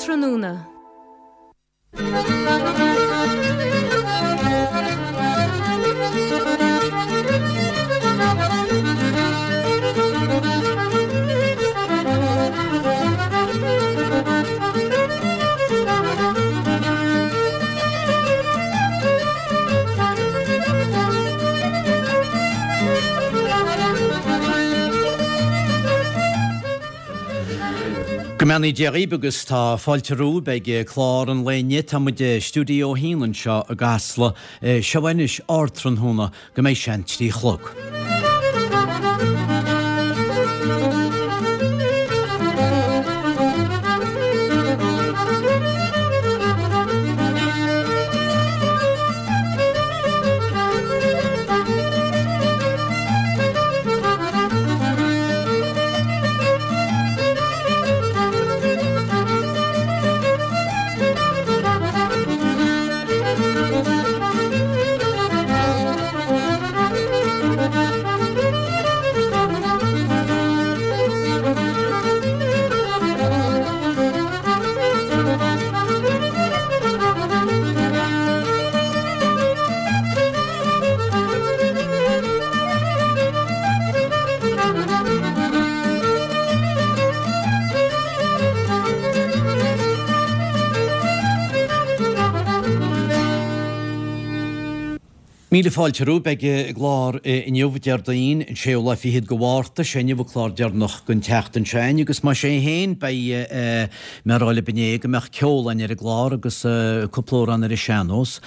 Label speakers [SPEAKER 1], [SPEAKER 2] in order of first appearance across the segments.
[SPEAKER 1] Ardtráthnóna.
[SPEAKER 2] Go mbeannaí Dia dhaoibh agus tá fáilte romhaibh ag clár an lae inniu. Tá muid i Stiúideo 1 anseo i gCasla. Seo anois Ardtráthnóna go mbeidh sé an 3 chlog. Míle fáilte romhaibh ag an gclár inniu, Déardaoin, an séú lá fichead de Mhárta. Sé inniu an clár deireanach den tseachtain seo againn agus mar sin féin beidh mé a rá libh inné go mbeadh ceol againn ar an gclár agus cúpla amhrán ar an sean-nós.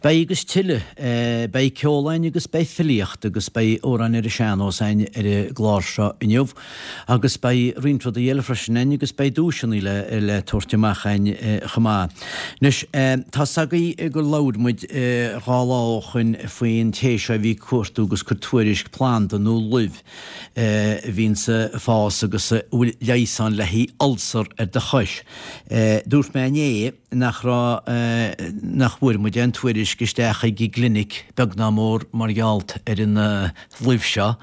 [SPEAKER 2] Beidh agus tuilleadh. Beidh ceol againn agus beidh filíocht agus beidh amhráin ar an sean-nós againn ar an gclár seo inniu agus beidh roinnt rudaí eile freisin againn agus beidh duaiseanna le le tabhairt amach againn chomh maith. Anois, tá's agaibh gur labhair muid dhá lá ó shoin faoin té seo a bhí ag cuartú agus cur tuairisc planda nó luibh a bhíonns ag fás agus a bhfuil leigheas ann le haghaidh ulcer ar do chois. Dúirt mé inné nach raibh, nach bhfuair muid aon tuairisc isteach ag an gclinic, beag ná mór, mar gheall ar an luibh seo.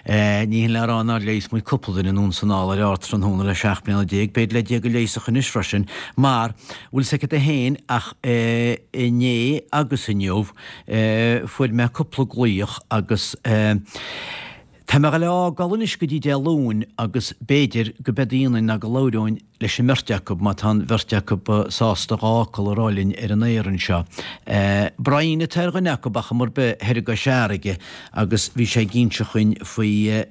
[SPEAKER 2] Ní hin le rá nár leigheas muid cúpla duine anonn 's anall ar Ardtráthnóna le 17 bliana, b'fhéidir le Dia go leigheasfadh anois freisin, mar, bhfuil 's agat féin ach inné agus inniu, fuair mé cúpla glaoch agus tá mé ag dul a fhágáil anois go dtí Dé Luain agus b'fhéidir go beidh ionainn ná go labhróinn leis an mbeirt acu, má tá an bheirt acu sásta dhá fhocal a rá linn ar an aer anseo. Brian atá ar dhuine acu, ach mar bith, thoir i gCois Fharraige agus bhí sé ag inse chuinn faoi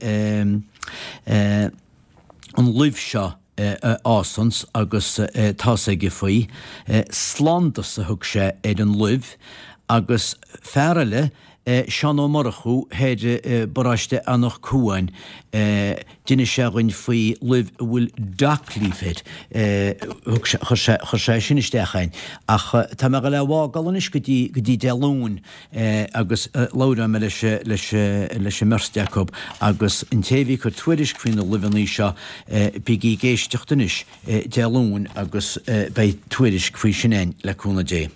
[SPEAKER 2] an luibh seo a fhásanns agus tá's aige faoi. Slándas a thug sé ar an luibh agus fear eile, Seán Ó Murchú thoir i bparóiste Anach Cuain, d'inis sé dhuinn faoi luibh a bhfuil dock leaf air. Thug sé, chuir sé, chuir sé sin isteach a'inn. Ach tá mé ag dul é a fhágáil anois go dtí, go dtí Dé Luain agus labhróidh mé leis, leis, leis an mbeirt acu agus an té a bhí ag cur tuairisc faoi na luibheanna seo, bígí ag éisteacht anois. Dé Luain agus beidh tuairisc faoi sin a'inn le cúnamh Dé.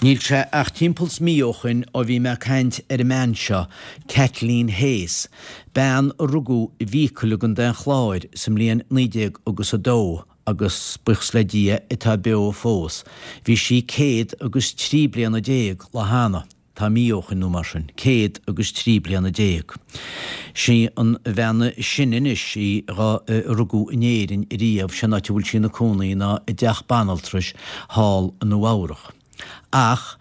[SPEAKER 2] Níl sé ach timpeall 's mí ó shoin ó bhí mé ag caint ar an mbean seo, Kathleen Hayes, bean a rugadh i bhFiacail i gContae an Chláir sa mbliain 19 agus 2 agus, buíochas le Dia, atá beo fós. Bhí sí 103 bliana lá cheana. Tá mí ó shoin nó mar sin, 103 bliana. Sí an bhean is sine anois í dhá rugadh in Éirinn riamh, sé an áit a bhfuil sí ina cónaí ná i dteach banaltrais thall i Nua Eabhrach. Ach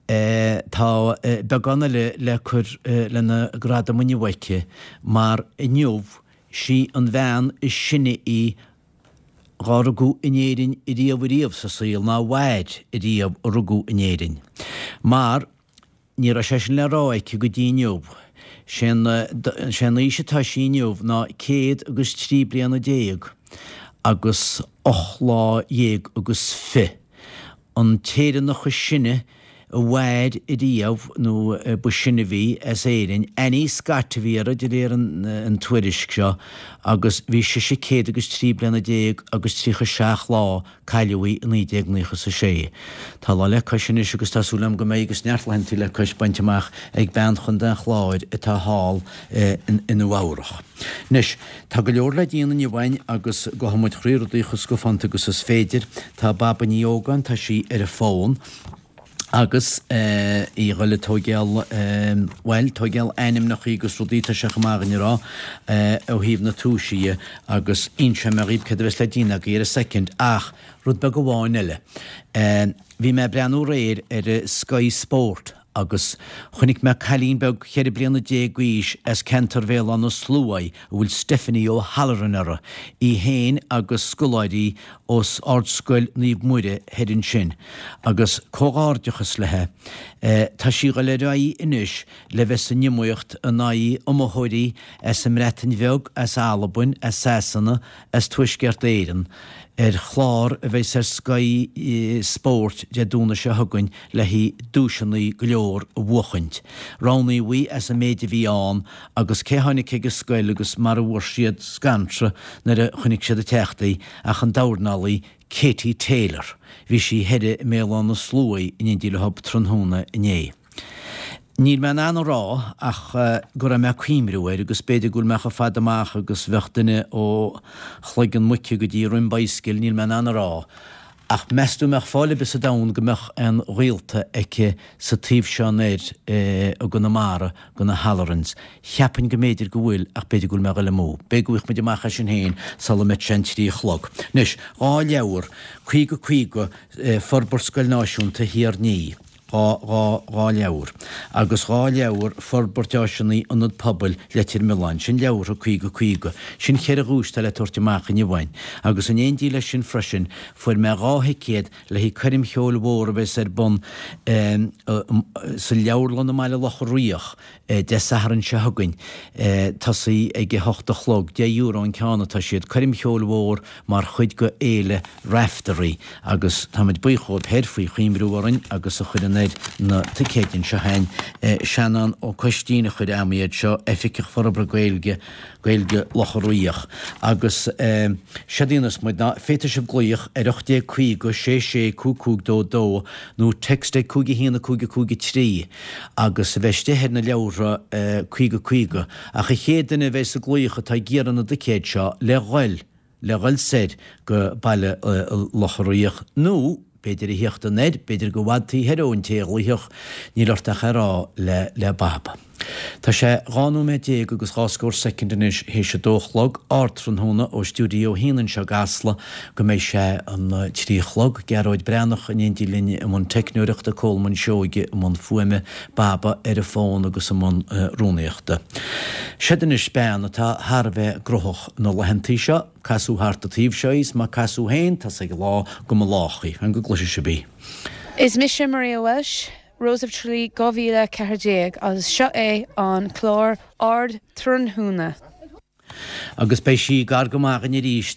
[SPEAKER 2] tá beagán eile le cur lena gradam inniu aici mar inniu sí an bhean is sine í dhá rugadh in Éirinn riamh ariamh sa saol ná mhair riamh a rugadh in Éirinn. Mar ní raibh sé sin le rá aici go dtí inniu. Sé an aois atá sí inniu ná 103 bliana agus 18 lá agus fi. An tÉireannach is sine. a mhair ariamh nó ba sine a bhí as Éirinn, Annie Scott a bhí uirthi de réir an tuairisc seo agus bhí sise céad agus 13 bliana agus 37 lá, cailleadh í i 1996. Tá lá le cois anois agus tá súil agam go mbeidh agus neart laethanta le cois bainte amach ag bean Chontae an Chláir atá thall i Nua Eabhrach. Anois, tá go leor le déanamh inniu againn agus gabhfaidh muid thrí rudaí chomh scafánta agus is féidir. Tá Baba Ní Ógáin, tá sí ar an bhfón agus í a ghoil ag tóigeáil, bhuel, tóigeáil ainmneachaí agus rudaí, tá sé chomh maith againn a rá, ó thaobh na toisí dhe agus inseoidh mé dhaoibh céard a bheas le déanamh agaibh ar an soicind ach rud beag amháin eile. Bhí mé ag breathnú aréir ar Sky Sport agus chonaic mé cailín beag cheithre bliana déag d'aois as ceantar Bhéal Átha na Sluaighe a bhfuil Stephanie O'Halloran uirthi, í féin agus scoláirí ós Ardscoil Naomh Muire thoir ansin. Agus comhghairdeachas léi. Tá sí ag dul ar aghaidh anois le bheith san iomaíocht in aghaidh iomaitheoirí as an mBreatain Bheag, as Albain, as Sasana, as Tuaisceart Éireann ar chlár a bheas ar Sky Sport Dé Domhnaigh seo chugainn le haghaidh duaiseanna go leor a bhuachaint. Roghnaíodh í as an méid a bhí ann agus cé tháinig chuig an scoil agus mar a bhfuair siad scanradh nuair a chonaic siad ag teacht í ach an dornálaí Katie Taylor. Bhí sí thoir i mBéal Átha na Sluaighe in éindí leo tráthnóna inné. Níl mé in ann a rá ach go raibh mé ag cuimriú air agus b'fhéidir go bhfuil mé chomh fada amach agus bheadh duine ó chloigeann muice go dtí rinn bidhscil, níl mé in ann a rá. Ach meas tú an mbeadh fáil ar bith sa domhan go mbeadh aon ghaolta aici sa taobh seo anoir i gConamara go na Hallorans? Cheapfainn go mb'fhéidir go bhfuil ach b'fhéidir go bhfuil mé ag dul amú. B'fhéidir go bhfaighidh muid amach é sin féin sula mbeidh sé an 3 a chlog. Anois, 2 leabhar, 50 50, Forbairt Scoil Náisiúnta Thír an Fhia. 2, 2, 2 leabhar. Agus 2 leabhar, Forbairt Áiseanna Ionad Pobail Leitir Mealláin. Sin leabhartha 50, 50. Sin cheithre dhuais atá le tabhairt amach inniu againn. Agus in éindí leis sin freisin, fuair mé 2 thicéad le haghaidh coirm cheoil mhór a bheas ar bun sa Leabharlann i mBaile Locha Riach Dé Sathairn seo chugainn, tosaí ag a hocht a chlog, €10 an ceann atá siad, coirm cheoil mhór mar chuid go Fhéile Raiftearaí agus táimid buíoch dhóibh thoir faoi chuimriú orainn agus a chuir anoir na ticéid anseo againn. Seanán Ó Coistín a chuir a'm iad seo, Oifigeach Forbartha Gaeilge, Gaeilge Locha Riach. Agus séard a dhéanfas muid ná féadfaidh sibh glaoch ar 1850 6 6 5 5 2 2 nó text ag 5 1 5 5 3 agus a bheith istigh ar na leabhartha 50 50 ach an chéad duine a bheas ag glaoch atá ag iarraidh na dticéad seo le ghoil le ghoil soir go Baile Locha Riach nó b'fhéidir a thíocht anoir, b'fhéidir go bhfad taobh thoir ón té a ghlaofadh, níl ort ach é a rá le le Bab. Tá sé 12 nóiméad agus dhá scór soicind anois théis a dó a chlog, ardtráthnóna ó Stiúideo 1 anseo i gCasla go mbeidh sé an 3 a chlog, Gearóid Breathnach in éindí linn i mbun teicneoireachta, Colmán Seoige i mbun fuaime, Baba ar an bhfón agus i mbun rúnaíochta. Seod anois bean atá thar a bheith gnóthach na laethantaí seo, casadh thart an taobh seo í 's má casadh féin tá's ag an lá go mba lách í. Fan go gcloisfidh sibh í.
[SPEAKER 1] Is mise Maria Walsh, Rose of Tralee 2014 agus seo é an clár Ardtráthnóna.
[SPEAKER 2] Agus beidh sí gar go maith againn arís,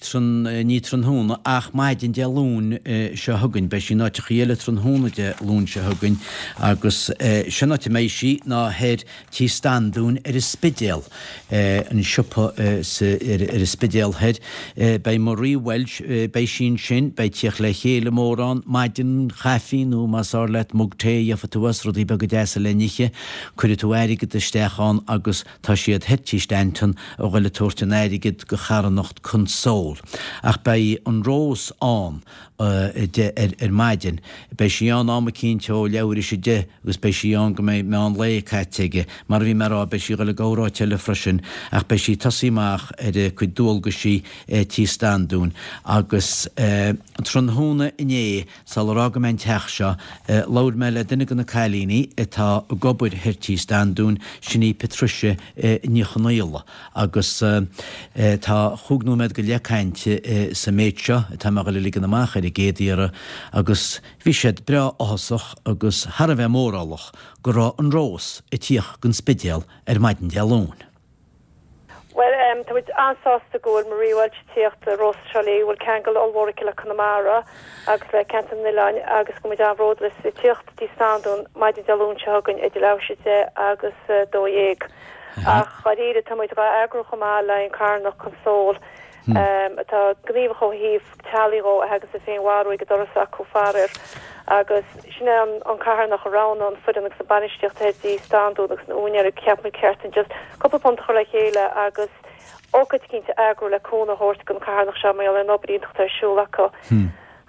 [SPEAKER 2] ní tráthnóna ach maidin Dé Luain seo chugainn. Beidh sí in áiteachaí eile tráthnóna Dé Luain seo chugainn agus sin áit a mbeidh sí ná thoir Tí Standúin ar an Spidéal, an siopa ar an Spidéal thoir. Beidh Marie Walsh, beidh sí ansin, beidh tíocht le chéile mór ann, maidin chaife nó más fearr leat mug tae a gheobhaidh tú as, rudaí beaga deasa le n-ithe, cuirfidh tú airgead isteach ann agus tá siad thoir Tí Stanton a ghoil ag tabhairt an airgid go charthanacht Console. Ach beidh an Rós ann ar maidin. Beidh sí ann am eicínt ó leathuair théis 10 agus beidh sí ann go mbeidh meán lae caite aige. Mar a bhí mé a rá, beidh sí ag dul ag gabháil áit eile freisin ach beidh sí ag tosaí amach ar a cuid dualgaisí Tí Standúin. Agus tráthnóna inné, sular fhága mé an teach seo, labhair mé le duine de na cailíní atá ag obair thoir Tí Standúin, sin í Patricia Ní Chonaola. Agus tá chúig nóiméad go leith cainte sa méid seo atá mé a dhul a ligean amach ar an gcéad iarraidh agus bhí siad breá áthasach agus thar a bheith mórálach go raibh an Rós ag tíocht gon Spidéal ar maidin Dé Luain.
[SPEAKER 3] Bhuel. Tá muid an-sásta go bhfuil Maria Walsh ag tíocht do Rós Trá Lí, a bhfuil ceangal ollmhór aici le Conamara agus le ceantar na n-oileán agus go bhfuil muid an-bhródúil aisti ag tíocht dtí Standún maidin Dé Luain seo chugainn idir leathuair tar éis 10 agus 12. Ach dháiríre tá muid dhá eagrú chomh maith le an carthanacht Console atá gníomhach ó thaobh teaghlaigh dhó a thaganns ag féinmharú ag an doras acu faraor agus sin é an carthanacht a roghnaigh an foireann agus an bainistíocht thoir dtí Standún agus na úinéirí cheap muid ceart an just cúpla punt a chur le chéile agus ócáid eicínt a eagrú le cúnamh a thabhairt don carthanacht seo mar gheall ar an obair iontach atá ar siúl acu.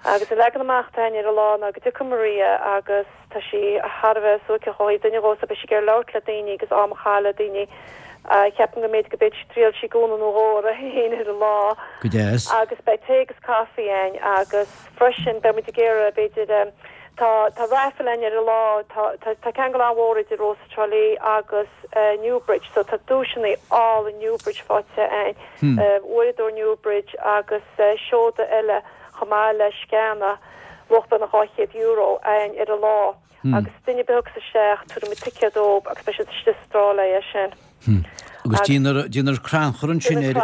[SPEAKER 3] Agus an leagan amach atá againn ar an lá ná go dtiocfaidh Maria agus tá sí thar a bheith suaithinseach ó thaobh duine dhó so beidh sí ag iarraidh labhairt le daoine agus am a chaitheamh le daoine. Ceapaim go mb'fhéidir go b'fhéidir triailfidh sí gúna nó dhó uirthi féin ar an lá.
[SPEAKER 2] Go deas.
[SPEAKER 3] Agus beidh tae agus caife againn agus freisin beidh muid ag iarraidh b'fhéidir tá tá raffle againn ar an lá tá tá tá ceangal an-mhór idir Rós Trá Lí agus Newbridge so tá duaiseanna álainn Newbridge faighte againn, uaireadóir Newbridge agus seoda eile. chomh maith le sceana luach beagnach €200 againn ar an lá agus duine ar bith a thiocfas isteach tabharfaidh muid ticéad dóibh agus beidh siad istigh sa trá le é sin.
[SPEAKER 2] Agus déanfar crannchur ansin ar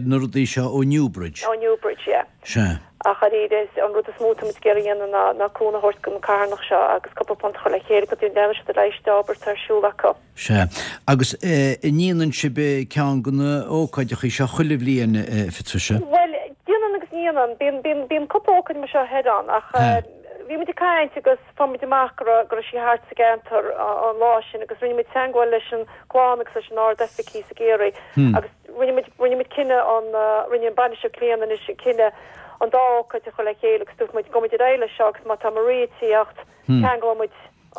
[SPEAKER 2] na rudaí seo ó Newbridge.
[SPEAKER 3] Ó Newbridge, yeah.
[SPEAKER 2] Sea.
[SPEAKER 3] Ach dáiríre, an rud is mó atá muid ag iarraidh a dhéanamh ná ná cúnamh a thabhairt don carthanacht seo agus cúpla punt a chur le chéile go ndéanfaidh siad ar aghaidh leis an obair atá ar siúl acu.
[SPEAKER 2] Sea. Agus an ndéanann sibh ceann de na hócáideacha seo chuile bhliain, a Phatricia?
[SPEAKER 3] Bhuel, déanann agus ní dhéanann. Bíonn, bíonn, bíonn cúpla ócáid mar seo thoir ann ach bhí muid ag caint agus fuair muid amach go raibh, go raibh sí thart sa gceantar an lá sin agus rinne muid teagmháil leis an gclann agus leis an Ard-Oifig thíos i gCiarraí agus rinne muid, rinne muid cinneadh an, rinne an bainisteoir Clíona anois an cinneadh an dá ócáid a chur le chéile agus dúirt muid gabhfaidh muid ar aghaidh leis seo agus má tá Maria ag tíocht, ceanglóidh muid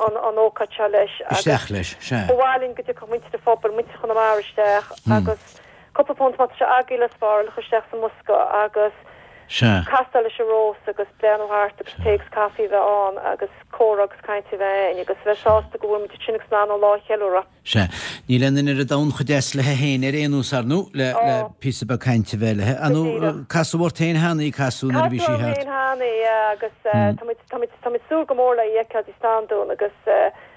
[SPEAKER 3] an ócáid seo leis
[SPEAKER 2] agus Isteach leis, sea.
[SPEAKER 3] ba mhaith linn go dtiocfadh muintir an phobail, muintir Chonamara isteach agus cúpla punt má tá sé agaibh le spáráil a chur isteach sa mbosca agus
[SPEAKER 2] Sea.
[SPEAKER 3] castáil leis an rós agus breathnú thart agus tae agus caife a bheith ann agus comhrá agus caint a bheith ann agus a bheith sásta go bhfuil muid ansin agus in ann an lá a cheiliúradh.
[SPEAKER 2] Sea. Níl aon duine ar an domhan chomh deas léi féin ar aon nós, ar ndóigh, le, le píosa beag cainte a bheith léi. Ar ndóigh, casadh ort féin cheana í, casadh nuair a bhí sí
[SPEAKER 3] thart. Casadh orm féin cheana í, yeah, agus tá muid, tá muid, tá muid ag súil go mór le í a fheiceáil i Standún agus,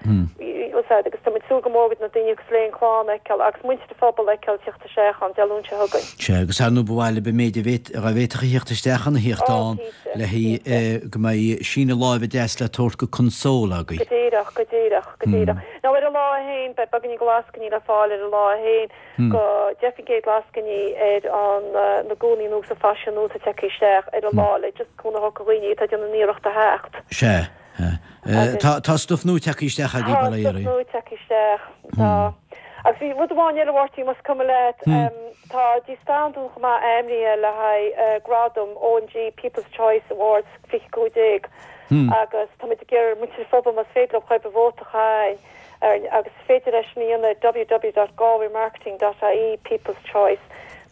[SPEAKER 3] úsáid, agus tá muid ag súil go mór go na daoine agus le an clann a fheiceáil agus muintir an phobail a fheiceáil ag tíocht isteach ann Dé Luain seo chugainn.
[SPEAKER 2] Sea, agus ar ndóigh ba mhaith libh an méid a bhféad, a bhféadfadh a thíocht isteach ann a thíocht ann le haghaidh go mbeidh síneadh láimhe deas le tabhairt go Console agaibh.
[SPEAKER 3] Go díreach, go díreach, go díreach. Now ar an lá é féin, beidh beagáinín de lascainí le fáil ar an lá é féin, go 10% lascainí ar an na gúnaí nua agus an faisean nua atá tagtha isteach ar an lá le just cúnamh a thabhairt do dhaoine atá ag déanamh an iarracht a theacht.
[SPEAKER 2] Sea. Tá tá stuif nua tagtha isteach agaibh,
[SPEAKER 3] Tá stuif nua tagtha isteach, tá. Agus bhí rud amháin eile, a Mháirtín, más cuma leat, tá dtí Standún chomh maith ainmnithe le haghaidh gradam OMG People's Choice Awards 2015 agus tá muid ag iarraidh ar muintir an phobail más féidir leo chomh maith vóta a chaitheamh air agus is féidir leis sin a dhéanamh ar www.galwaymarketing.ie People's Choice.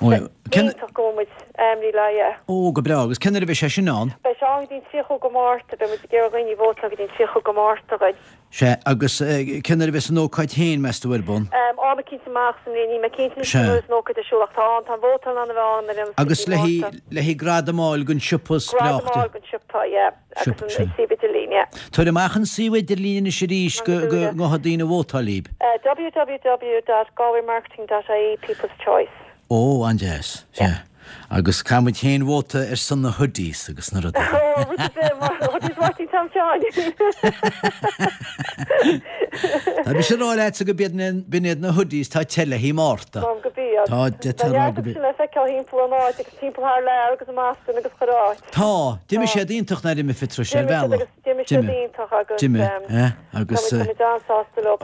[SPEAKER 3] Iontach go bhfuil muid ainmnithe le haghaidh.
[SPEAKER 2] Ó, go breá. Agus cén uair a bheidh sé sin ann?
[SPEAKER 3] Beidh sé ann go dtí an 30 go Márta. Beidh muid ag iarraidh dhaoine vótáil go dtí an 30 go Márta againn.
[SPEAKER 2] Sea, agus cén uair a bheas an ócáid féin, meas tú, ar bun?
[SPEAKER 3] Am eicínt amach sa mbliain, níl mé cinnte anois cén uair is an ócáid ar siúl ach tá ann, tá an vótáil in ann a bheith ann ar aon nós go
[SPEAKER 2] Agus
[SPEAKER 3] dtí
[SPEAKER 2] le
[SPEAKER 3] Márta.
[SPEAKER 2] le haghaidh gradam a fháil don siopa
[SPEAKER 3] is breá. Gradam a fháil don siopa, yeah, agus
[SPEAKER 2] Siopa,
[SPEAKER 3] an
[SPEAKER 2] sea.
[SPEAKER 3] suíomh idirlín, yeah.
[SPEAKER 2] Tabhair amach an suíomh idirlín anois arís go
[SPEAKER 3] Go
[SPEAKER 2] go ngabhfaidh daoine a vótáil libh.
[SPEAKER 3] www.galwaymarketing.ie People's Choice.
[SPEAKER 2] Ó, an-deas. Sea. Agus caithfidh muid féin vóta ar son na hoodies agus na rudaí.
[SPEAKER 3] Ó, rud ar bith, mar hoodies Mháirtín Tom Sheáin.
[SPEAKER 2] Tá mise ag rá leatsa go b'iad b'in iad na hoodies tá te le haghaidh Márta.
[SPEAKER 3] Tá, go b'iad.
[SPEAKER 2] Tá,
[SPEAKER 3] Tá
[SPEAKER 2] d'fhéadfá a rá
[SPEAKER 3] neart
[SPEAKER 2] go
[SPEAKER 3] acu sin le feiceáil thimpeall an áit agus timpeall thar lear agus i mBoston agus chuile áit.
[SPEAKER 2] Tá. D'imigh siad iontach nár imigh a Phatricia ar
[SPEAKER 3] D'imigh siad
[SPEAKER 2] bhealach.
[SPEAKER 3] agus d'imigh siad iontach agus
[SPEAKER 2] D'imigh, eh, agus
[SPEAKER 3] tá muid an-sásta leo
[SPEAKER 2] ó,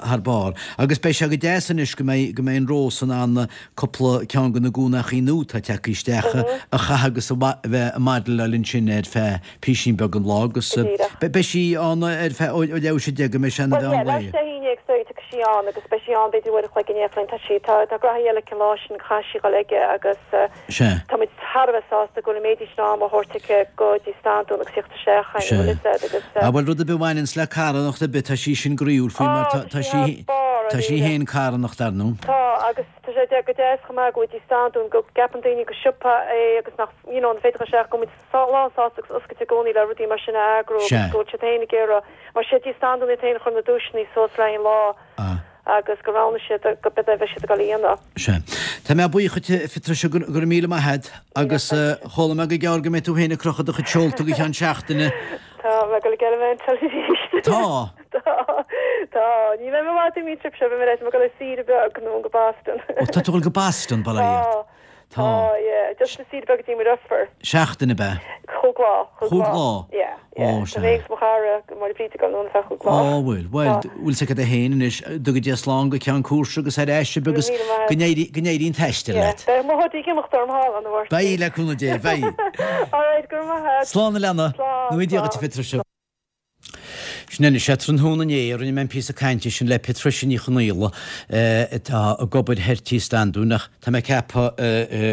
[SPEAKER 2] thar barr. Agus beidh sé go deas anois go mbeidh, go mbeidh an Rós in ann cúpla ceann de na gúnachaí nua atá tagtha isteach a chaitheamh agus a bheith ag modeláil ansin ar feadh písín beag an lá agus beidh sí ann ar feadh ó leathuair tar éis 10 go mbeidh sé ina
[SPEAKER 3] Bhuel,
[SPEAKER 2] mheán
[SPEAKER 3] yeah,
[SPEAKER 2] lae.
[SPEAKER 3] leathuair tar éis 11 tiocfaidh sí ann agus beidh sí ann b'fhéidir uair a chloig i ndiaidh a cloig. Tá sí, tá, tá graithí eile aici an lá sin, caithfidh sí dhul aige agus.
[SPEAKER 2] Sea.
[SPEAKER 3] Tá muid thar a bheith sásta go bhfuil an méid sin ama á thabhairt aici go dtí Standún agus theacht isteach chugainn, bhfuil fhios a'd, agus.
[SPEAKER 2] Ah bhuel rud ar bith a bhaineanns le carthanacht ar bith tá sí sin groíúil faoi mar
[SPEAKER 3] Á,
[SPEAKER 2] tá sí tá sí féin carthanach dar ndóigh.
[SPEAKER 3] Tá agus tá sé go deas chomh maith go bhfuil dtí Standún go gceapann daoine gur siopa é agus nach you know an féidir isteach go bhfuil muid lán sásta agus oscailte i gcónaí le rudaí mar sin a eagrú agus go bhfuil siad féin ag iarraidh mar siad dtí Standún iad féin a chur na duaiseanna suas le haghaidh an lá.
[SPEAKER 2] Ah.
[SPEAKER 3] Agus gur roghnaigh siad go b'é a bheidh siad ag dul a dhéanamh.
[SPEAKER 2] Sea. Tá mé buíoch dhuit, a Phatricia, go raibh míle maith agat. Agus chuala mé go gearr go mbeidh tú féin ag crochadh do chuid seolta go ceann seachtaine.
[SPEAKER 3] Tá mé ag dul ag Elemental arís.
[SPEAKER 2] Tá?
[SPEAKER 3] Tá. Tá. Ní bheidh mé i bhfad imithe an trip seo, beidh mé ag dul ar saoire beag anonn go Boston.
[SPEAKER 2] Ó, tá tú ag dul go Boston, bail ó Dhia ort.
[SPEAKER 3] Tá. Tá, yeah. Just saoire beag go dtí mo dheirfiúr.
[SPEAKER 2] Seachtain ab ea?
[SPEAKER 3] Chúig lá.
[SPEAKER 2] Chúig lá?
[SPEAKER 3] Yeah, yeah.
[SPEAKER 2] Ó, sea.
[SPEAKER 3] Tá mé agus mo chara, Máire Bríd ag dul anonn ar feadh chúig lá.
[SPEAKER 2] Ó, bhfuil. Bhuel, bhfuil 's agat é féin anois, dtuga Dia slán go ceann cúrsa agus ar ais sibh agus go n-éirí, go n-éirí an t-aistear leat.
[SPEAKER 3] Yeah, beidh mo hoodie ag imeacht orm thall ann, a Mháirtín.
[SPEAKER 2] Beidh, le cúnamh Dé, beidh.
[SPEAKER 3] All right, go raibh maith agat.
[SPEAKER 2] Slán a leana.
[SPEAKER 3] Slán,
[SPEAKER 2] Go dtuga Dia dhuit
[SPEAKER 3] slán.
[SPEAKER 2] a Phatricia. Sin anois é, tráthnóna inné a rinne mé an píosa cainte sin le Patricia Ní Chonaola atá ag obair thoir Tí Standún ach tá mé ag ceapadh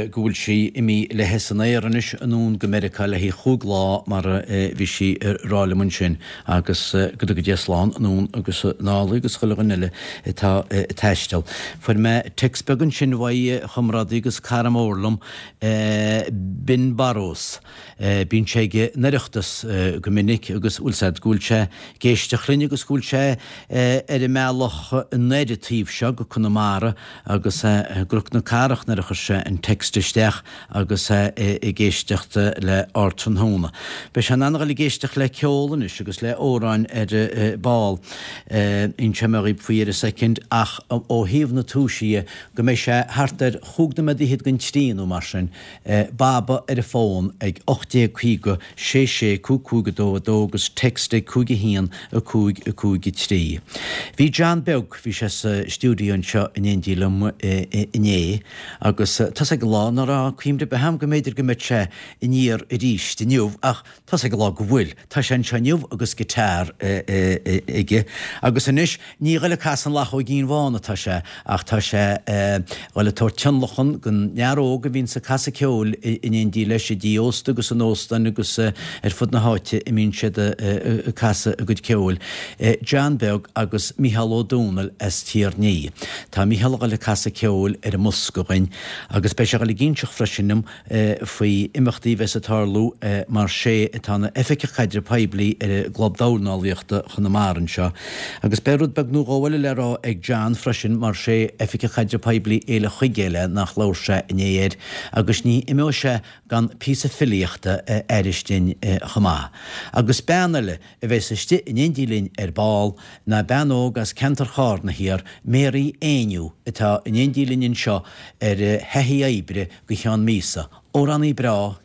[SPEAKER 2] go bhfuil sí imithe léithi san aer anois anonn go Meiriceá le haghaidh chúig lá mar a bhí sí ag rá liom ansin agus go dtuga Dia slán anonn agus anall í agus chuile dhuine eile atá ag taisteal. Fuair mé text beag ansin uaidh chomrádaí agus cara mór liom, Ben Burrows. Bíonn sé ag an Oireachtas go minic agus bhfuil 's a'd go bhfuil sé ag éisteacht linn agus go bhfuil sé ar an mbealach anoir an taobh seo go Conamara agus i gCnoc na Cathrach nuair a chuir sé an text isteach agus é ag éisteacht le Ardtráthnóna. Beidh sé in ann a dhul ag éisteacht le ceol anois agus le amhráin ar ball. Inseoidh mé dhaoib faoi ar a soicind ach ó thaobh na tomhaisí dhe go mbeidh sé thart ar chúig nóiméad fhichead don trí nó mar sin Baba ar an bhfón ag 1850 6 6 5 5 2 2 agus text ag 5 1 5 5 3. Bhí John Beag, bhí sé sa stiúideo anseo in éindí liom inné agus tá's ag an lá ná raibh cuimhne ar bith a'm go mb'fhéidir go mbeadh sé aniar arís inniu ach Tá's ag an lá go bhfuil. Tá sé anseo inniu agus guitar aige. Agus anois, ní ghoil ag casadh an Luchóigín Bhán atá sé, ach tá sé ghoil ag tabhairt tionlacan don fhear óg a bhíonns ag casadh ceoil in éindí leis i dtí ósta agus in óstáin agus ar fud na háite a mbíonn siad ag casadh a gcuid ceoil. John Beag agus Micheál Ó Domhnaill as Tír an Fhia. Tá Micheál a ghoil ag casadh ceoil ar an mbosca dhuinn agus beidh sé a ghoil ag inseacht freisin dom faoi imeachtaí a bheas ag tarlú mar sé atá ina Oifigeach Caidreamh Poiblí ar an gClub Dornálaíochta Chonamara anseo. Agus beidh rud beag nó dhó eile le rá ag John freisin mar sé Oifigeach Caidreamh Poiblí Fhéile Chuigéil é nach labhair sé inné air agus ní imeoidh sé gan píosa filíochta a aithris dinn chomh maith. Agus bean eile a bheas istigh in éindí linn ar ball ná bean óg as ceantar Chárna thiar, Mary Éinniú, atá in éindí linn anseo ar thaithí oibre go cheann míosa. Amhránaí breá,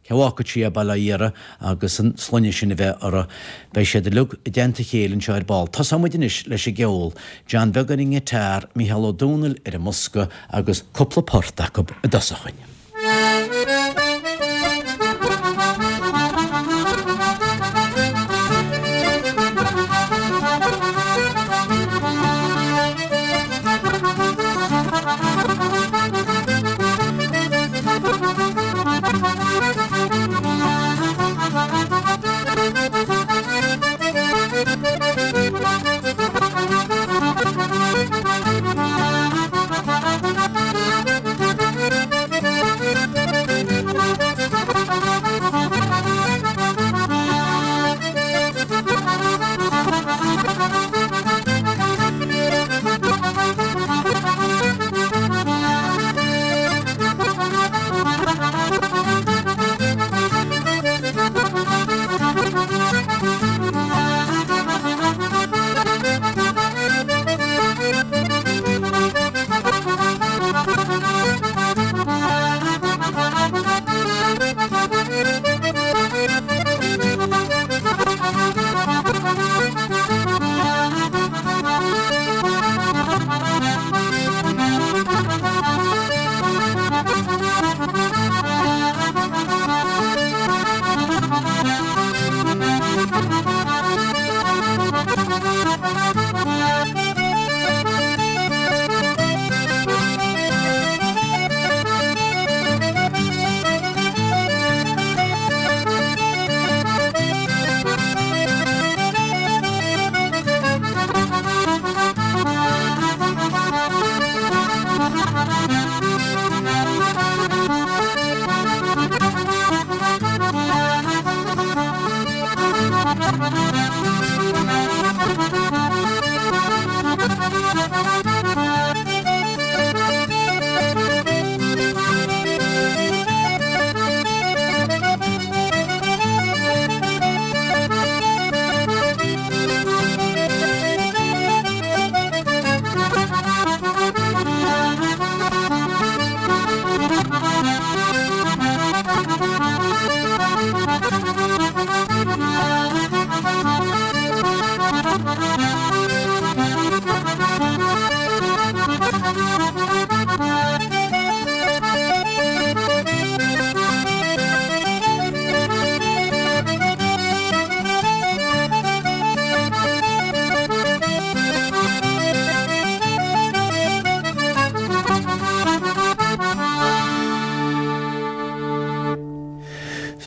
[SPEAKER 2] cé a bhfágfadh sí é, bail ó Dhia uirthi, agus an sloinne sin a bheith uirthi. Beidh siad uilig i dteannta a chéile anseo ar ball. Tosóidh muid anois leis an gceol. John Beag ar an ngiotár, Mícheál Ó Domhnaill ar an mbosca agus cúpla port acu i dtosach dhuinn.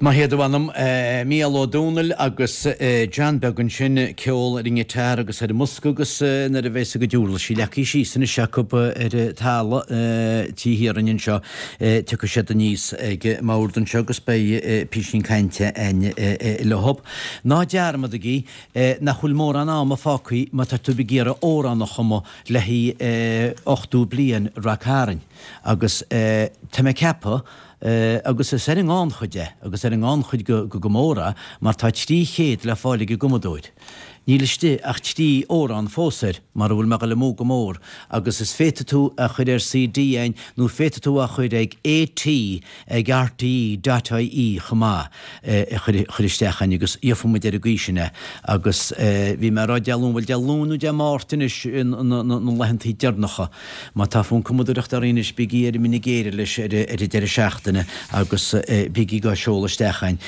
[SPEAKER 2] Maith iad a mh'anam, Mícheál Ó Domhnaill agus John Beag ansin, ceol ar an ngiotár agus ar an mbosca agus nuair a bheas a gcuid uirlisí leagtha síos anois acu ar an talamh Tí Thiaráin anseo, tiocfaidh siad aníos ag an mbord anseo agus beidh písín cainte a'inn leo. Ná dearmadaigí nach bhfuil mórán ama fágtha má tá tú ag iarraidh amhrán a chumadh le haghaidh 80 bliain Rac Árainn agus tá mé ag ceapadh Agus is ar an ngannchuid é, agus ar an ngannchuid go mór é, mar tá 300 le fáil ag an gcumadóir. Níl istigh ach 3 amhrán fós air, mara bhfuil mé ag dul amú go mór, agus is féadfaidh tú a chur ar CD a'inn nó féadfaidh tú a chur ag AT ag rte dot ie chomh maith, a chur isteach a'inn agus gheobhaidh muid ar an gcaoi sin é. Agus bhí mé ag rá Dé Luain, bhuel Dé Luain nó Dé Máirt anois na laethantaí deireanacha. Má tá fonn cumadóireachta oraibh anois, bígí ar an mine géire leis ar an deireadh seachtaine agus bígí dhá seoladh isteach a'inn.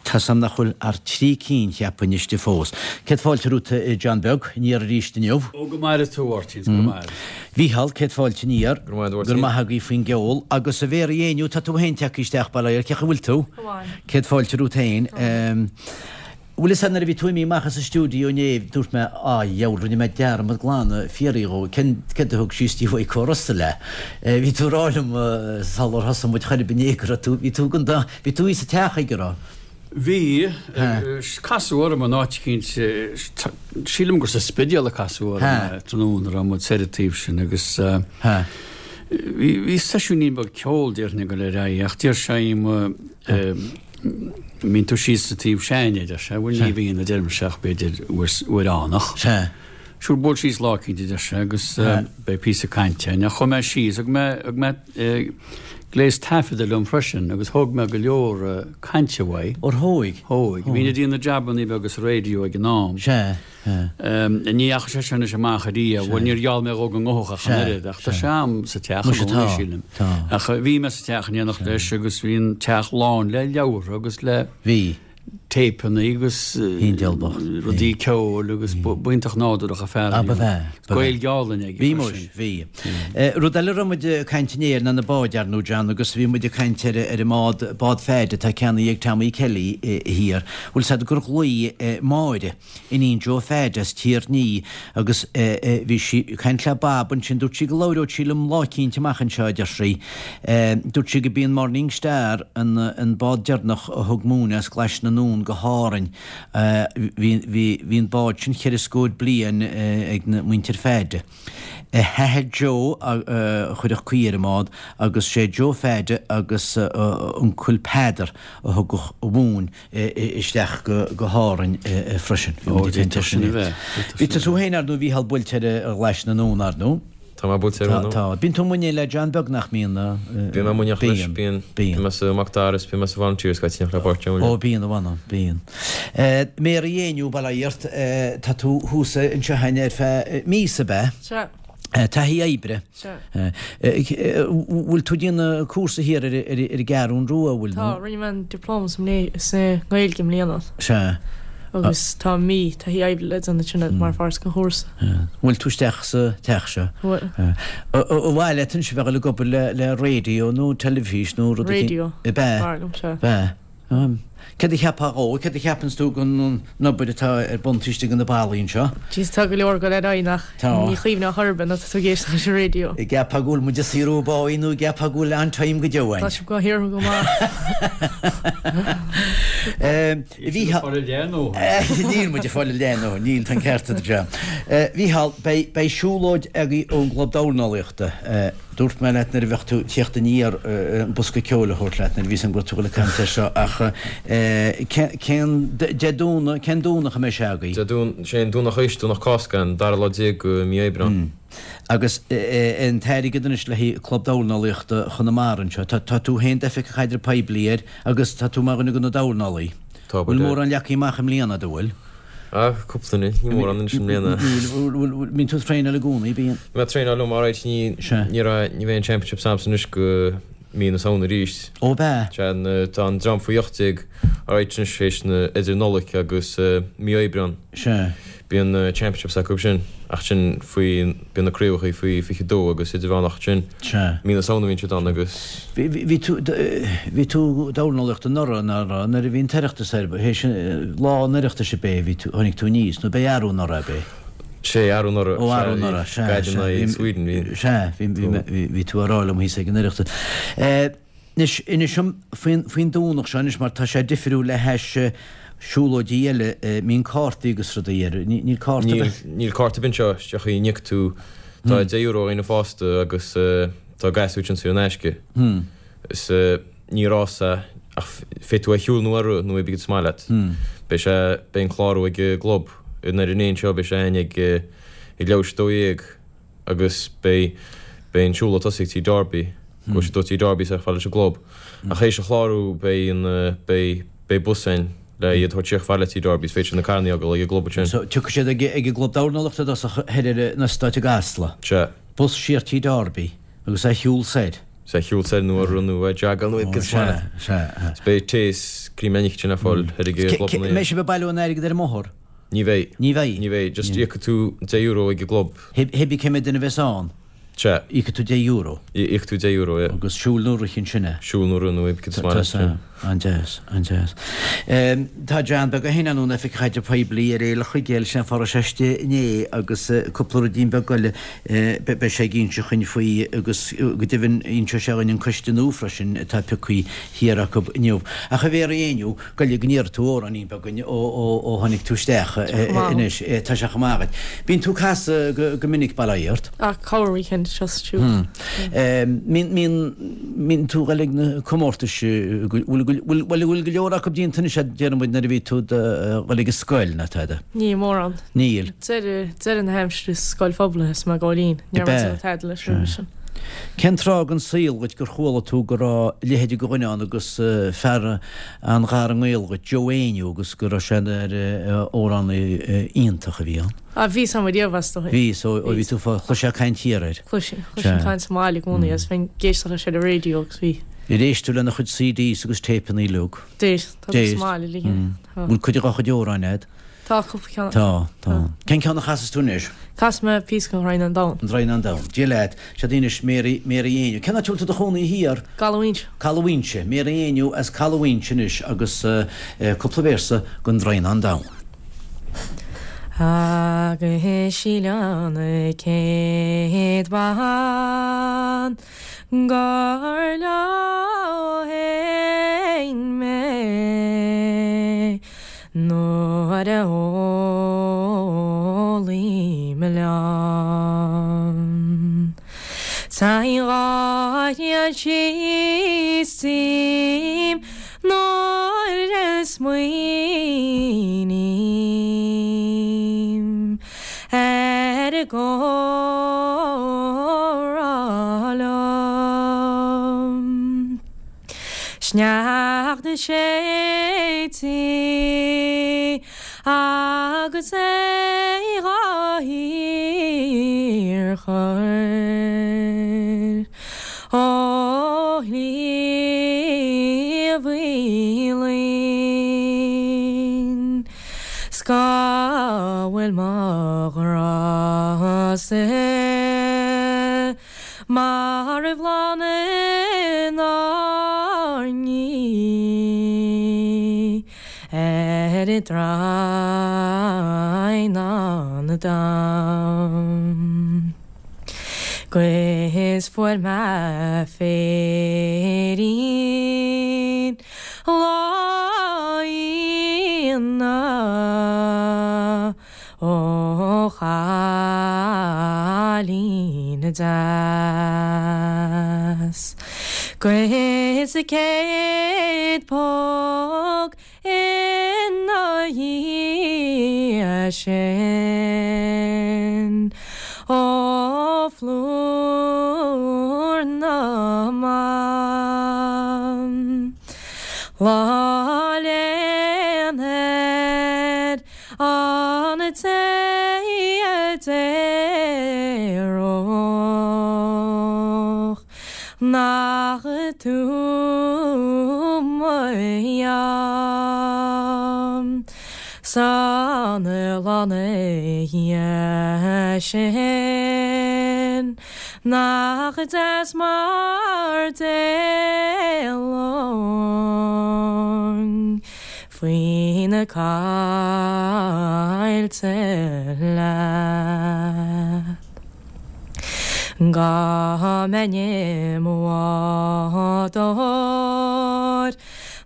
[SPEAKER 2] Tá's a'm nach bhfuil ach 3 cinn, cheapfainn, istigh fós. Céad fáilte romhat, a John Beag, aniar arís inniu.
[SPEAKER 4] Ó, go maire tú, a Mháirtín, go maire.
[SPEAKER 2] Mhícheál, céad fáilte aniar.
[SPEAKER 5] Go raibh maith agat, a Mháirtín.
[SPEAKER 2] Go raibh maith agaibh faoin gceol. Agus a Mhéaraí Éinniú, tá tú féin tagtha isteach, bail ó Dhia ort, cén chaoi a bhfuil tú?
[SPEAKER 6] Go maith.
[SPEAKER 2] Céad fáilte romhat féin. Bhfuil fhios a'd nuair a bhí tú imithe amach as an stiúideo inné, dúirt mé, á dheabhal, rinne mé dearmad glan a fiafraí dhó cén, céard a thug síos dtí Mhaidhc Ó Russell é. Bhí tú ag rá liom sular thosaigh muid chor ar bith inné go raibh tú, bhí tú gan da, bhí tú thíos sa teach aige, raibh?
[SPEAKER 4] Bhí, casadh orm in áit eicínt, sílim gur sa Spidéal a casadh orm é tráthnóna, raibh muid soir an taobh sin agus bhí, bhí seisiúinín beag ceoil déarfainn ag dul ar aghaidh ach d'iarr sé uaim, mbíonn tú síos sa taobh s'againne, a deir sé. Bhuel, ní bhíonn, a deirimse, ach b'fhéidir uair fhánach.
[SPEAKER 2] Sea.
[SPEAKER 4] Sure, buail síos lá eicínt, a deir sé, agus beidh píosa cainte againn. Ach chuaigh mé síos, thug mé, thug mé gléas taifeadta liom freisin agus thóg mé go leor cainte uaidh.
[SPEAKER 2] Ar thóig?
[SPEAKER 4] Thóig. Bhínn ag déanamh jabannaí beaga sa raidió ag an am.
[SPEAKER 2] Sea.
[SPEAKER 4] Ní dheachaigh sé sin anois amach ariamh. Bhuel, níor gheall mé dhó go ngabhfadh ach an oiread, ach tá sé a'm sa teach i gcónaí, sílim. Ach bhí mé sa teach in éineacht leis agus bhí an teach lán le leabhartha agus le téipeanna agus rudaí ceoil agus b'iontach nádúrach an fear a bhí ann. Gaeilge álainn aige
[SPEAKER 2] Bhí muis, bhí. Rud eile a raibh muid ag caint inné air ná na báid, ar ndóigh, John, agus bhí muid ag caint ar an mbád, bád Pheaid atá ceannaithe ag Tommy Kelly thiar. Bhfuil 's a'd gur ghlaoigh Máire. Iníon Joe Pheaid as Tír an Fhia agus bhí sí ag caint le Bob ansin, dúirt sí go labhródh sí liom lá eicínt amach anseo, a deir sí. Dúirt sí go b'í an Morning Star an bád deireanach a thug móin as Glaise na nDún go hÁrainn. Bhí, bhí, bhí an bád sin cheithre scór bliain ag na muintir Pheaid. A hathair Joe a chuirfeadh caoi ar an mbád agus sé Joe Pheaid agus a uncail Peadar a thugadh an mhóin isteach go hÁrainn freisin. Bhí muid ag caint air sin inné. Bhí tú féin, ar ndóigh, a Mhícheál, buailte ar Ghlais na nDún, ar ndóigh.
[SPEAKER 5] Tá mé buailte ar an.
[SPEAKER 2] Tá. Bíonn tú amuigh le John Beag nach mbíonn?
[SPEAKER 5] Bíonn mé amuigh leis, bíonn. Bíonn. Bíonn mé sa Mac Dara is bíonn mé sa Volunteers go tíocht le páirt ann.
[SPEAKER 2] Ó bíonn, a mh'anam, bíonn. Mary Éinniú, bail ó Dhia ort, tá tú thuas anseo againn ar feadh míosa, ab ea?
[SPEAKER 6] Sea.
[SPEAKER 2] Taithí oibre.
[SPEAKER 6] Sea.
[SPEAKER 2] Bhfuil tú ag déanamh cúrsa thiar ar an gCeathrún Rua, bhfuil
[SPEAKER 6] nó? Tá, rinne mé an dioplóma sa nGaeilge i mbliana.
[SPEAKER 2] Sea.
[SPEAKER 6] Agus tá mí taithí oibre le déanamh ansin mar pháirt den chúrsa.
[SPEAKER 2] Bhfuil tú isteach sa teach seo?
[SPEAKER 6] Bhfuil.
[SPEAKER 2] Ar mhaith leat anois a bheith ag dul ag obair le raidió nó teilifís nó rud
[SPEAKER 6] éicint? Raidió.
[SPEAKER 2] Ab ea?
[SPEAKER 6] B'fhearr liom, sea.
[SPEAKER 2] Ab ea? Céard a cheapfá dhó? Céard a cheapanns tú den obair atá ar bun taobh istigh de na ballaí anseo?
[SPEAKER 6] Jeez, tá go leor ag dul ar aghaidh nach ní chuimhneofá chor ar bith nuair atá tú ag éisteacht leis an raidió.
[SPEAKER 2] An gceapfá go bhfuil muid ag saothrú báí nó an gceapfá go bhfuil an-time go deo
[SPEAKER 6] againn? Tá sibh go hiartha go maith.
[SPEAKER 2] Níl muid ag fáil a leath nó níl, tá an ceart agat, John. Mhícheál, beidh siúlóid agaibh ón gClub Dornálaíochta. Dúirt mé leat nuair a bheadh tú ag tíocht aniar an bosca ceoil a thabhairt leat nuair a bhí 'fhios a'm go raibh tú ag dul ag caint air seo ach cén Dé Domhnaigh, cén Domhnach a mbeidh sé agaibh?
[SPEAKER 5] Dé Domhnaigh, sé an Domhnach théis Domhnach Cásca, an dara lá déag de mí Aibreán.
[SPEAKER 2] Agus an t-airgead anois le haghaidh Club Dornálaíochta Chonamara anseo, tá tú féin d'Oifigeach Caidreamh Poiblí air agus tá tú mar dhuine de na dornálaí.
[SPEAKER 5] Tá,
[SPEAKER 2] Bhfuil mórán leagtha amach i mbliana, an bhfuil?
[SPEAKER 5] Ah, cúpla duine, ní mórán anois i mbliana.
[SPEAKER 2] Níl, bíonn tú ag traenáil i gcónaí, bíonn?
[SPEAKER 5] Bhí mé ag traenáil liom alright, ní, ní raibh, ní bheidh an Championships a'msa anois go mí na Samhna arís.
[SPEAKER 2] Ó b'ea?
[SPEAKER 5] Sea, tá an dream faoi 18 alright anois théis na, idir Nollaig agus mí Aibreán.
[SPEAKER 2] Sea.
[SPEAKER 5] Bíonn na Championships acu sin ach sin faoi, bíonn na craobhacha faoi 22 agus idirmheánach ansin.
[SPEAKER 2] Sea.
[SPEAKER 5] Mí na Samhna a bhíonn siad ann agus.
[SPEAKER 2] Bhí tú, bhí tú dornálaíocht anuraidh, nach raibh, nuair a bhí an tOireachtas ar, théis lá an Oireachtais ab é a bhí tú, tháinig tú aníos, nó ab é arú anuraidh ab é?
[SPEAKER 5] Sé, arú anuraidh,
[SPEAKER 2] Ó, arú anuraidh, sea,
[SPEAKER 5] sea. Gaillimh in aghaidh Sweden,
[SPEAKER 2] bhí. Sea, bhí, bhí, bhí tú á rá liom thíos ag an Oireachtas. Anois, inis dom faoin, faoin Domhnach seo anois mar tá sé difriúil le hais siúlóidí eile, mbíonn cártaí agus rudaí air, níl cárta
[SPEAKER 5] ar bith? Níl, níl cárta ar bith anseo, isteach a n-íocfaidh tú, tá €10 do dhaoine fásta agus tá gasúir ansin saor in aisce. Is ní rás é ach féadfaidh tú a shiúl nó a rith nó pé cad is maith leat. Beidh sé, beidh an clárú ag an gclub i nDoire an Éin seo, beidh sé againn ag ag leathuair tar éis a 12. agus beidh beidh an siúlóid tosaithe ag Tigh Darby, go bhfuil siad ó Tigh Darby chomh fada leis an gclub. Ach théis an chlárú beidh an beidh beidh bus ann le iad a thabhairt siar chomh fada le Tigh Darby is féidir na carranna a fhágáil ag an gclub ansin.
[SPEAKER 2] So tiocfaidh siad ag ag an gclub dornálaíochta i dtosach thoir ar an eastát i gCasla.
[SPEAKER 5] Sea.
[SPEAKER 2] Bus siar Tigh Darby agus é shiúl soir.
[SPEAKER 5] Is é shiúl soir nó a rith nó a jogáil nó cad is maith leat.
[SPEAKER 2] Sea, sea.
[SPEAKER 5] Is beidh tae is cream ansin le fáil thoir ag an gclub ina
[SPEAKER 2] An mbeidh sibh ag bailiú an airgid ar an mbóthar?
[SPEAKER 5] Ní bheidh.
[SPEAKER 2] Ní bheidh?
[SPEAKER 5] Ní bheidh. Just íocfaidh tú €10 ag an gclub.
[SPEAKER 2] Hibí cé mhéad duine a bheas ann?
[SPEAKER 5] Sea.
[SPEAKER 2] Íocfaidh tú €10.
[SPEAKER 5] Íocfaidh tú €10, yeah.
[SPEAKER 2] Agus siúl nó rith ansin é.
[SPEAKER 5] Siúl nó rith nó cad is maith leat.
[SPEAKER 2] Tá an-deas, an-deas. Tá John Beag Ó hInnealóin, Oifigeach Caidrimh Poiblí ar Fhéile Chuigéil, sé an fáth a raibh sé istigh inné agus cúpla ruidín beag eile beidh sé ag inse chuinn faoi agus go deimhin inseoidh sé dhuinn an coiste nua freisin atá pioctha thiar acu inniu. Ach a Mhéaraí Éinniú, Gabh i leith go n-iarrfaidh tú amhráinín beag dhuinn ó tháinig tú isteach anois. Tá sé chomh maith agat. Bíonn tú ag casadh go minic, bail ó Dhia ort.
[SPEAKER 6] Ach corr weekend seo is siúd.
[SPEAKER 2] Mbíonn tú ag dul ag na comórtais, bhfuil bhfuil go leor acu déanta anois déarfaidh muid nuair a bhí tú ag dul ag an scoil ná tada?
[SPEAKER 6] Níl mórán.
[SPEAKER 2] Níl.
[SPEAKER 6] Deireadh na haimsire sa scoil phobail is mé ag gabháil fhoinn. Ní raibh mé ag déanamh tada leis roimhe sin.
[SPEAKER 2] Cén tráth den saol dhuit gur chuala tú go raibh a leithéid de dhuine ann agus fear an-ghar i ngaol dhuit, Joe Éinniú, agus go raibh sé ina amhránaí iontach a bhí ann?
[SPEAKER 6] Ah, bhí 'fhios a'm riamh as
[SPEAKER 2] dóigh. Bhí, so ó bhí tú fá, chloisfeá caint thiar air.
[SPEAKER 6] Chloisinn, chloisinn caint sa mbaile i gcónaí agus bheinn ag éisteacht leis ar an raidió agus bhí.
[SPEAKER 2] Ar éist tú lena chuid CDs agus téipeanna uilig?
[SPEAKER 6] D'éist, tá
[SPEAKER 2] sa
[SPEAKER 6] mbaile uilig.
[SPEAKER 2] Tá. Bhfuil cuid dá chuid amhráin a'd?
[SPEAKER 6] Tá cúpla ceann.
[SPEAKER 2] Tá, tá. Cén ceann a chasas tú anois?
[SPEAKER 6] Casfaidh mé píosa den Draighneán Donn.
[SPEAKER 2] An Draighneán Donn. Dia leat. Seod í anois Mary, Mary Éinniú. Cén áit a bhfuil tú i do chónaí thiar?
[SPEAKER 6] gCaladh Fhuinse.
[SPEAKER 2] Caladh Fhuinse. Mary Éinniú as Caladh Fhuinse anois agus cúpla véarsa den Draighneán Donn.
[SPEAKER 6] Agus síleann an chéad bhean gur leo fhéin mé nuair a ólaim liom. Téann dhá thrian síos díom nuair a smaoiním ar an gcomhrá liom. Sneachta séidte agus é dhá shíorchur ó Shliabh Uí Fhloinn 's cá bhfuil mo ghrá-sa Mar a bhláthanna inár ndiaidh ar an Draighneán Donn. 'Gus fuair mé féirín lá Aoine Ó chailín deas 'Gus a céad póg ina dhiaidh sin Ó phlúr na mban Lá léan air An té a déarfadh nach tú mo dheamhan 's an. Oileán oíche sin nach deas mar d'éalóinn faoi na coillte leat. Dá mbeinn i mo bhádóir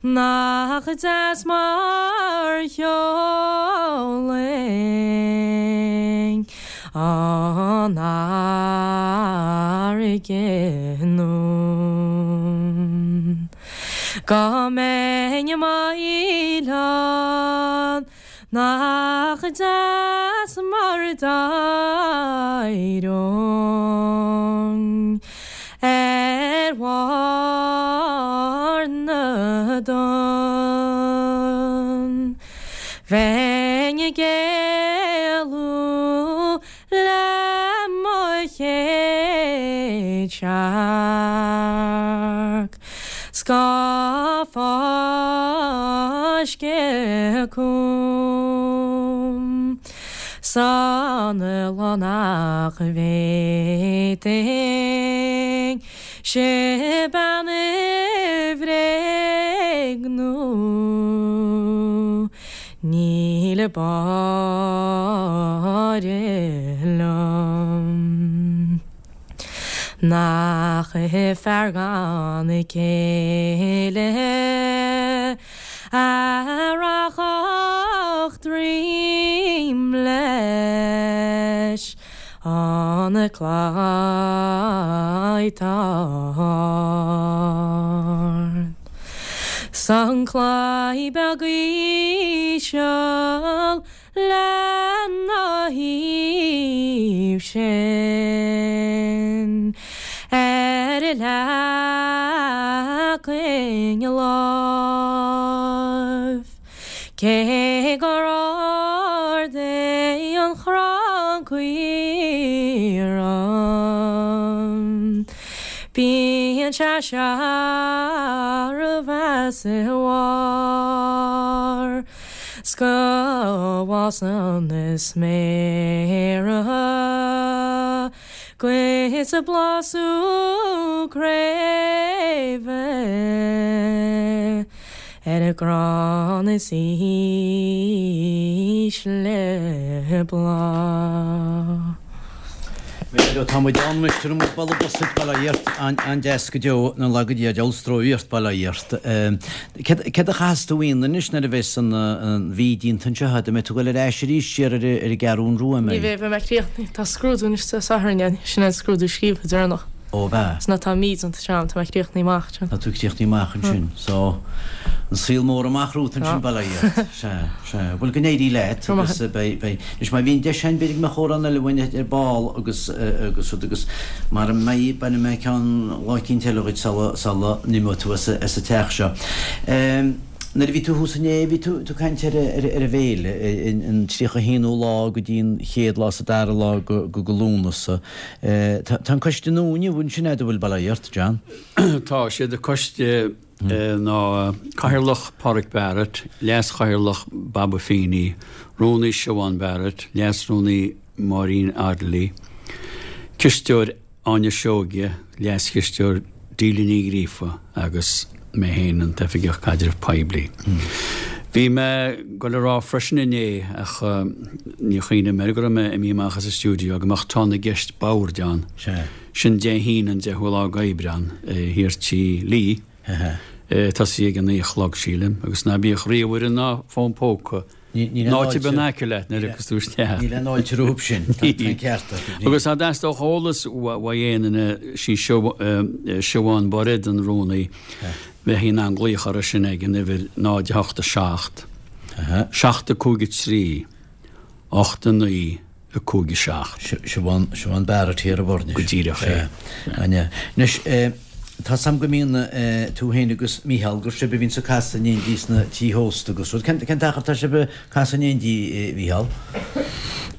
[SPEAKER 6] Nach deas mar sheolfainn an fharraige anonn. Dá mbeinn i m'fhaoileán Nach deas mar d'éireoinn ar bharr na dtonn. Bheinn ag éalú le mo chéad searc. 'S dhá fáisceadh chugam san oileán nach bhféadfainn bean a bhréagnú níl báire liom. Nach fear gan céile a rachadh droim leis an gclaí tá ard. 'S an claí beag íseal Lena thaobh sin, ar leagfainn lámh, cé gur ard é an crann caorthainn, bíonn sé searbh as a bharr. 'S go bhfásann na sméara 'gus bláth sú craoibhe ar an gcrann is ísle bláth.
[SPEAKER 2] Bhuel, tá muid ann anois, tabharfaidh muid boladh bos duit, bail ó Dhia ort, an-deas go deo, na laga Dia, deabhal stró ort, bail ó Dhia ort. Céard a chaithfeas tú a dhéanamh anois nuair a bheas an mhí déanta anseo agat? An mbeidh tú ag dul ar ais arís siar ar an gCeathrún Rua, an
[SPEAKER 6] mbeidh? Ní bheidh, beidh mé críochnaithe. Tá scrúdú anois Dé Sathairn, sin é an scrúdú scríofa deireanach.
[SPEAKER 2] Ó, bheadh.
[SPEAKER 6] Is ná tá mí déanta agam, tá mé críochnaithe amach
[SPEAKER 2] ansin. Tá tú críochnaithe amach ansin. So, an saol mór amach romhat ansin, bail ó Dhia ort. Sea, sea. Bhuel, go n-éirí leat agus beidh, beidh, anois má bhíonn deis againn b'fhéidir go mbeadh amhrán eile uainn ar ball agus, agus rud agus mara mbeidh, bainfidh mé ceann lá eicínt eile dhuit sula, sula n-imeoidh tú as, as an teach seo. Nuair a bhí tú thuas inné, bhí tú, tú ag caint ar, ar, ar an bhféile, an 31ú lá go dtí an chéad lá is an dara lá go, go, go Lúnasa. Tá an coiste nua inniu ansin agat an bhfuil, bail ó Dhia ort, John?
[SPEAKER 4] Tá, siad an coiste ná Cathaoirleach Pádraic Barrett, Leas-Chathaoirleach Baba Feeney, Rúnaí Siobhán Barrett, Leas-Rúnaí Máirín Ardley, Cisteoir Áine Seoige, Leas-Chisteoir Delia Ní Ghríofa agus mé féin, an tOifigeach Caidreamh Poiblí. Bhí mé ag dul a rá freisin inné, ach níor chuimhnigh mé air go raibh mé imithe amach as an stiúideo, go mbeadh tráth na gceist boird ann. Sin Dé hAoine an 10ú lá d'Aibreán, thiar Tí Lee, tosaí ag a 9 a chlog, sílim, agus ná bíodh ríomhaire ná fón póca Níl aon fháilte in aice leat nuair a thiocfas tú isteach.
[SPEAKER 2] Níl aon fháilte rompu sin, tá an ceart
[SPEAKER 4] agat. Agus dá dteastódh eolas uaidh aon duine, sí Siobhán Bairéad an rúnaí, bheifí in ann glaoch uirthi sin ag an uimhir 0 8 7 7 5 3 8 9 5 7.
[SPEAKER 2] Siobhán, Siobhán Barrett thiar i Boirne.
[SPEAKER 4] Go díreach é.
[SPEAKER 2] Sea. Anois, tá 's a'm go mbíonn tú féin agus Mícheál, gur sibh a bhíonns ag casadh in éindí sna tithe ósta agus rud. Cén t-achar atá sibh ag casadh in éindí, a Mhícheál?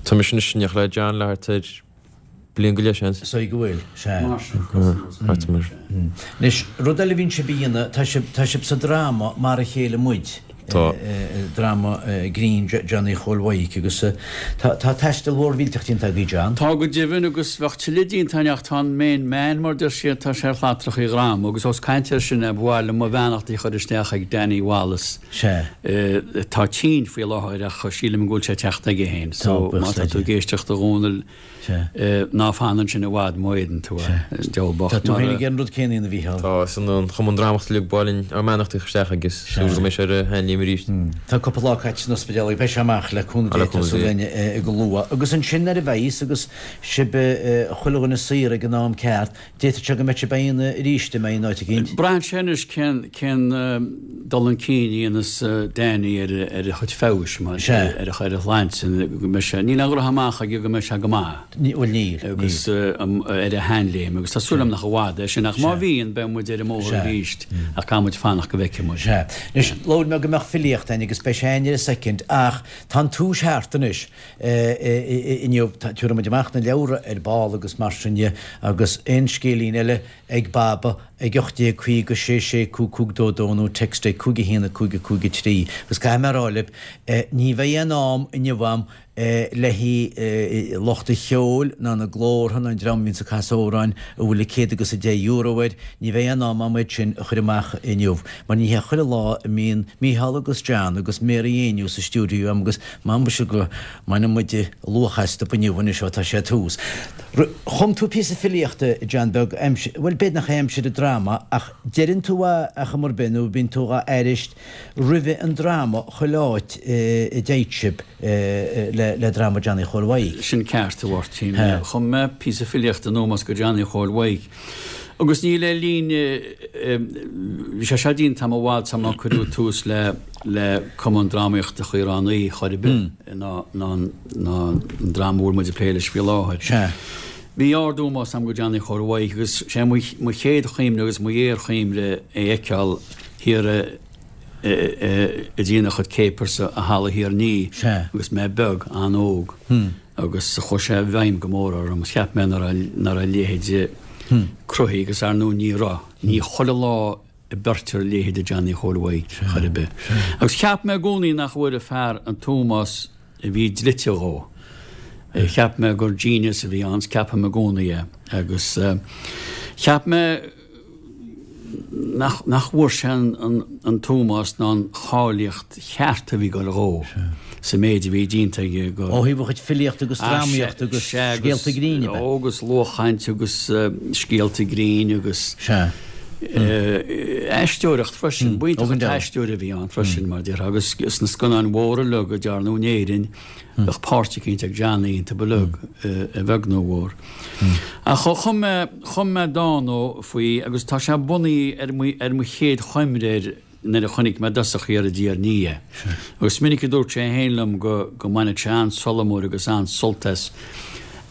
[SPEAKER 5] Tá mise anois in éineacht le John le thart ar bliain go leith, seans.
[SPEAKER 2] Is dóigh go bhfuil, sea. Thart mar sin. Anois, rud eile a bhíonn sibh a dhéanamh, tá sibh, tá sibh sa dráma Mar a Chéile Muid.
[SPEAKER 5] Tá.
[SPEAKER 2] Dráma grinn Johnny Chóil Mhaidhc agus tá taisteal mhór mhillteach déanta agaibh John.
[SPEAKER 4] Tá go deimhin agus bheadh tuilleadh déanta againn ach tá an main man mar deir siad, tá sé ar shlatrachaí a dhroma agus ós caint air sin é ba mhaith liom mo bheannachtaí a chur isteach ag Danny Wallace.
[SPEAKER 2] Sea.
[SPEAKER 4] Atá tinn faoi láthair ach sílim go bhfuil sé ag teacht aige féin so má tá tú ag éisteacht a Dhónaill, Ná fan ansin i bhfad má fhéadann tú é, diabhal bocht.
[SPEAKER 2] Tá tú féin ag an rud céanna a Mhícheáil.
[SPEAKER 5] Tá, is an Chumann Drámaíochta uilig ba mhaith linn ár mbeannachtaí a chur isteach agus súil go mbeidh sé ar a sheanléim arís.
[SPEAKER 2] Tá cúpla lá caite san ospidéal agus beidh sé amach le cúnamh Dé tá súil againn go luath. Agus ansin nuair a bheidh agus sibh chuile dhuine saor ag an am ceart, D'fhéadfadh sé go mbeadh sibh ag déanamh arís i mbeidh in áit
[SPEAKER 4] eicínt. Braitheann sé anois cén cén dul chun cinn a dhéanas Danny ar ar a chuid feabhais mar ar a ar a shláinte go mbeidh sé níl aon dhroch-amach aige go mbeidh sé go maith.
[SPEAKER 2] Bhuel níl,
[SPEAKER 4] níl. Agus ar a sheanléim agus tá súil agam nach i bhfad é sin ach má bhíonn beidh muid ar an mbóthar arís ach caithfidh muid fanacht go bhfeicfidh muid.
[SPEAKER 2] Sea. Anois labhair mé go mbeadh filíocht againn agus beidh sé againn ar a soicind ach tá an túis thart anois. Inniu, tabharfaidh muid amach na leabhra ar ball agus mar sin dhe, agus aon scéilín eile ag Baba ag 1850 6 6 5 5 2 2 nó text ag 5 1 5 5 3. Agus caithfidh mé a rá libh, ní bheidh aon am inniu a'm le haghaidh lucht an cheoil ná na glórtha ná an dream a bhíonns ag casadh amhráin a bhfuil an céad agus an deich euro air, ní bheidh aon am a'm iad sin a chur amach inniu, mar ní hé chuile lá a mbíonn Mícheál agus John agus Mary Éinniú sa stiúideo a'm agus M'ambaiste go mbainfidh muid luach astu inniu anois ó tá sé tús. Chum tú píosa filíochta, John Beag, aimsir, bhuel b'fhéidir nach é aimsir an dráma ach deireann tú é ar chuma ar bith nó bíonn tú dhá aithris roimhe an dráma chuile áit a dtéid sibh le dráma Johnny Chóil Mhaidhc.
[SPEAKER 4] Sin ceart, a Mháirtín. Chum mé píosa filíochta in ómós go Johnny Chóil Mhaidhc. Agus ní le linn, bhí sé seo déanta a'm i bhfad sar mar cuireadh tús le le Cumann Drámaíochta Chaoráin Uí chor ar bith ná ná ná an dráma a bhfuil muid ag plé leis faoi láthair.
[SPEAKER 2] Sea.
[SPEAKER 4] Bhí ard-ómós a'm go Johnny Chóil Mhaidhc agus sé mo mo chéad chuimhne agus mo ghéarchuimhne é a fheiceáil thiar i i i i dtína chuid capers i Halla Thír an Fhia
[SPEAKER 2] Sea.
[SPEAKER 4] agus mé beag, an-óg. agus chuaigh sé i bhfeidhm go mór orm. Cheap mé nach raibh nach raibh a leithéid cruthaithe agus ar ndóigh ní raibh. Ní chuile lá a beirtear a leithéid de Johnny Chóil Mhaidhc chor ar bith. Agus cheap mé i gcónaí nach bhfuair an fear an t-ómós a bhí dlite dhó. Cheap mé gur genius a bhí ann, 's ceapaim i gcónaí é. Agus cheap mé. nach bhfuair sé an t-ómós ná an cháilíocht cheart a bhí ag dul dhó sa méid a bhí déanta aige
[SPEAKER 2] go. Ó thaobh a chuid filíochta agus drámaíochta agus scéalta grinn
[SPEAKER 4] ab ea? Agus luathchaint agus scéalta grinn agus aisteoireacht freisin. B'iontach an t-aisteoir a bhí ann freisin mar déarfá agus sna scannáin mhóra uilig a dearnadh in Éirinn Bheadh páirt eicínt ag Johnny iontu uilig, a bheag nó a mhór. Ach chum mé, chum mé dán dó faoi agus tá sé bunaithe ar mo, ar mo chéad chuimhne air nuair a chonaic mé i dtosach thiar i dTír an Fhia é. Agus is minic a dúirt sé féin liom go, go mbaineadh sé an-solamar agus an-sult as,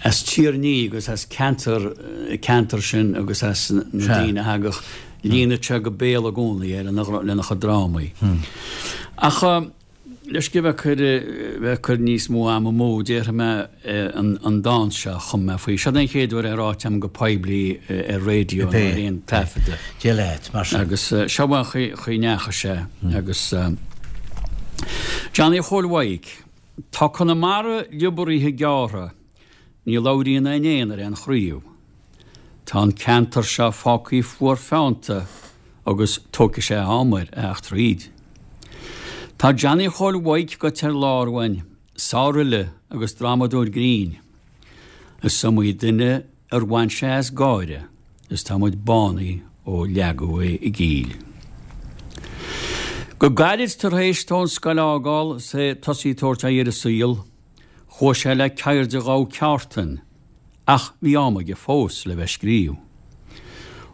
[SPEAKER 4] as Tír an Fhia agus as ceantar, ceantar sin agus as na daoine a thagadh. Líonadh sé go béal i gcónaí é lena, lena chuid drámaí. Ach. Leis go bheith ag bheith ag cur níos mó ama amú, déarfaidh mé an dán seo a chum mé faoi. Seo é an chéad uair é ráite agam go poiblí ar raidió nó ar aon taifeadadh.
[SPEAKER 2] Dia leat, mar
[SPEAKER 4] sin. Agus seo an chaoi a ndeachaigh sé. Agus Johnny Chóil Mhaidhc, Tá Conamara liobartha gearrtha Ní labhraíonn aon éan ar aon chraobh. Tá an ceantar seo fágtha fuar feannta agus tógfaidh sé am air a theacht thríd. Tá Johnny Chóil Mhaidhc goite ar lár uainn, sárfhile agus drámadóir grinn. Is iomaí duine ar bhain sé as gáire is tá muid bánaithe ó leagadh é i gcill. Go gairid tar éis dó an scoil a fhágáil is é tosaí ag tabhairt aghaidh ar an saol, Chuaigh sé le ceird a ghabh ceártan, ach bhí am aige fós le bheith ag scríobh.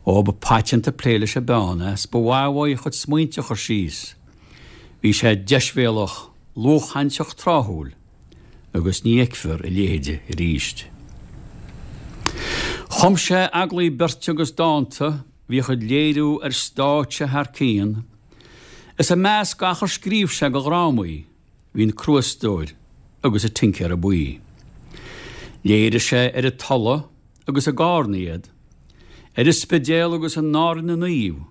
[SPEAKER 4] Ó, ba paiteanta plé leis an bpeann é, 's ba mhaith uaidh a chuid smaointe a chur síos. Bhí sé deisbhéalach, luathchainteach tráthúil, agus ní fheicfear a leithéide arís. Chum sé eaglaí beirte agus dánta, bhíodh iad léiriú ar stáitse thar cionn, is i measc gach ar scríobh sé de dhrámaí, Bhí an Crúastóir agus an Tincéara Buí. Léirigh sé ar an Tulaigh agus i gCarna iad, ar an Spidéal agus in Árainn na Naomh,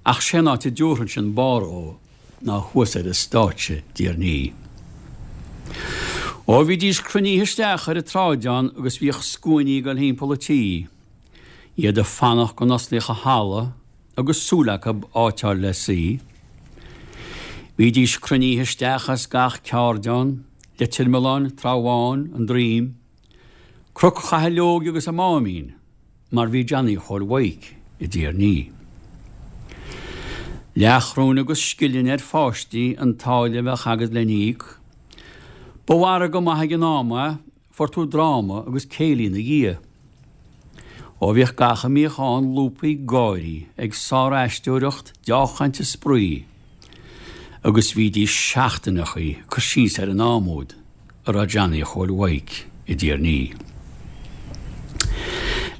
[SPEAKER 4] ach sé an áit a dtabharfainnse an barr dhó. ná thuas ar an stáitse i dTír an Fhí. Ó bhídís cruinnithe isteach ar an tsráideán agus bhíodh scuainí ag dul thimpeall an tí, iad ag fanacht go n-osclaíodh an halla agus súil acu áit a fháil le suí. Bhídís cruinnithe isteach as gach ceardeán, Leitir Mealláin, Trá Bháin, An Droim, Cnoc Chathalóige agus an Máimín, mar bhí Johnny Chóil Mhaidhc i dTír an Fhí. Leathchróin agus scilling ar pháistí an táille a bheadh agat lena íoc. Ba mhargadh maith ag an am é, fuair tú dráma agus céilí ina dhiaidh. Ó bhíodh gach a mbíodh ann lúbtha ag gáirí, ag sár-aisteoireacht, deá-chaint is spraoi. Agus bhídís seachtaineachaí ag cur síos ar an am úd. a raibh Johnny Chóil Mhaidhc i dTír an Fhí.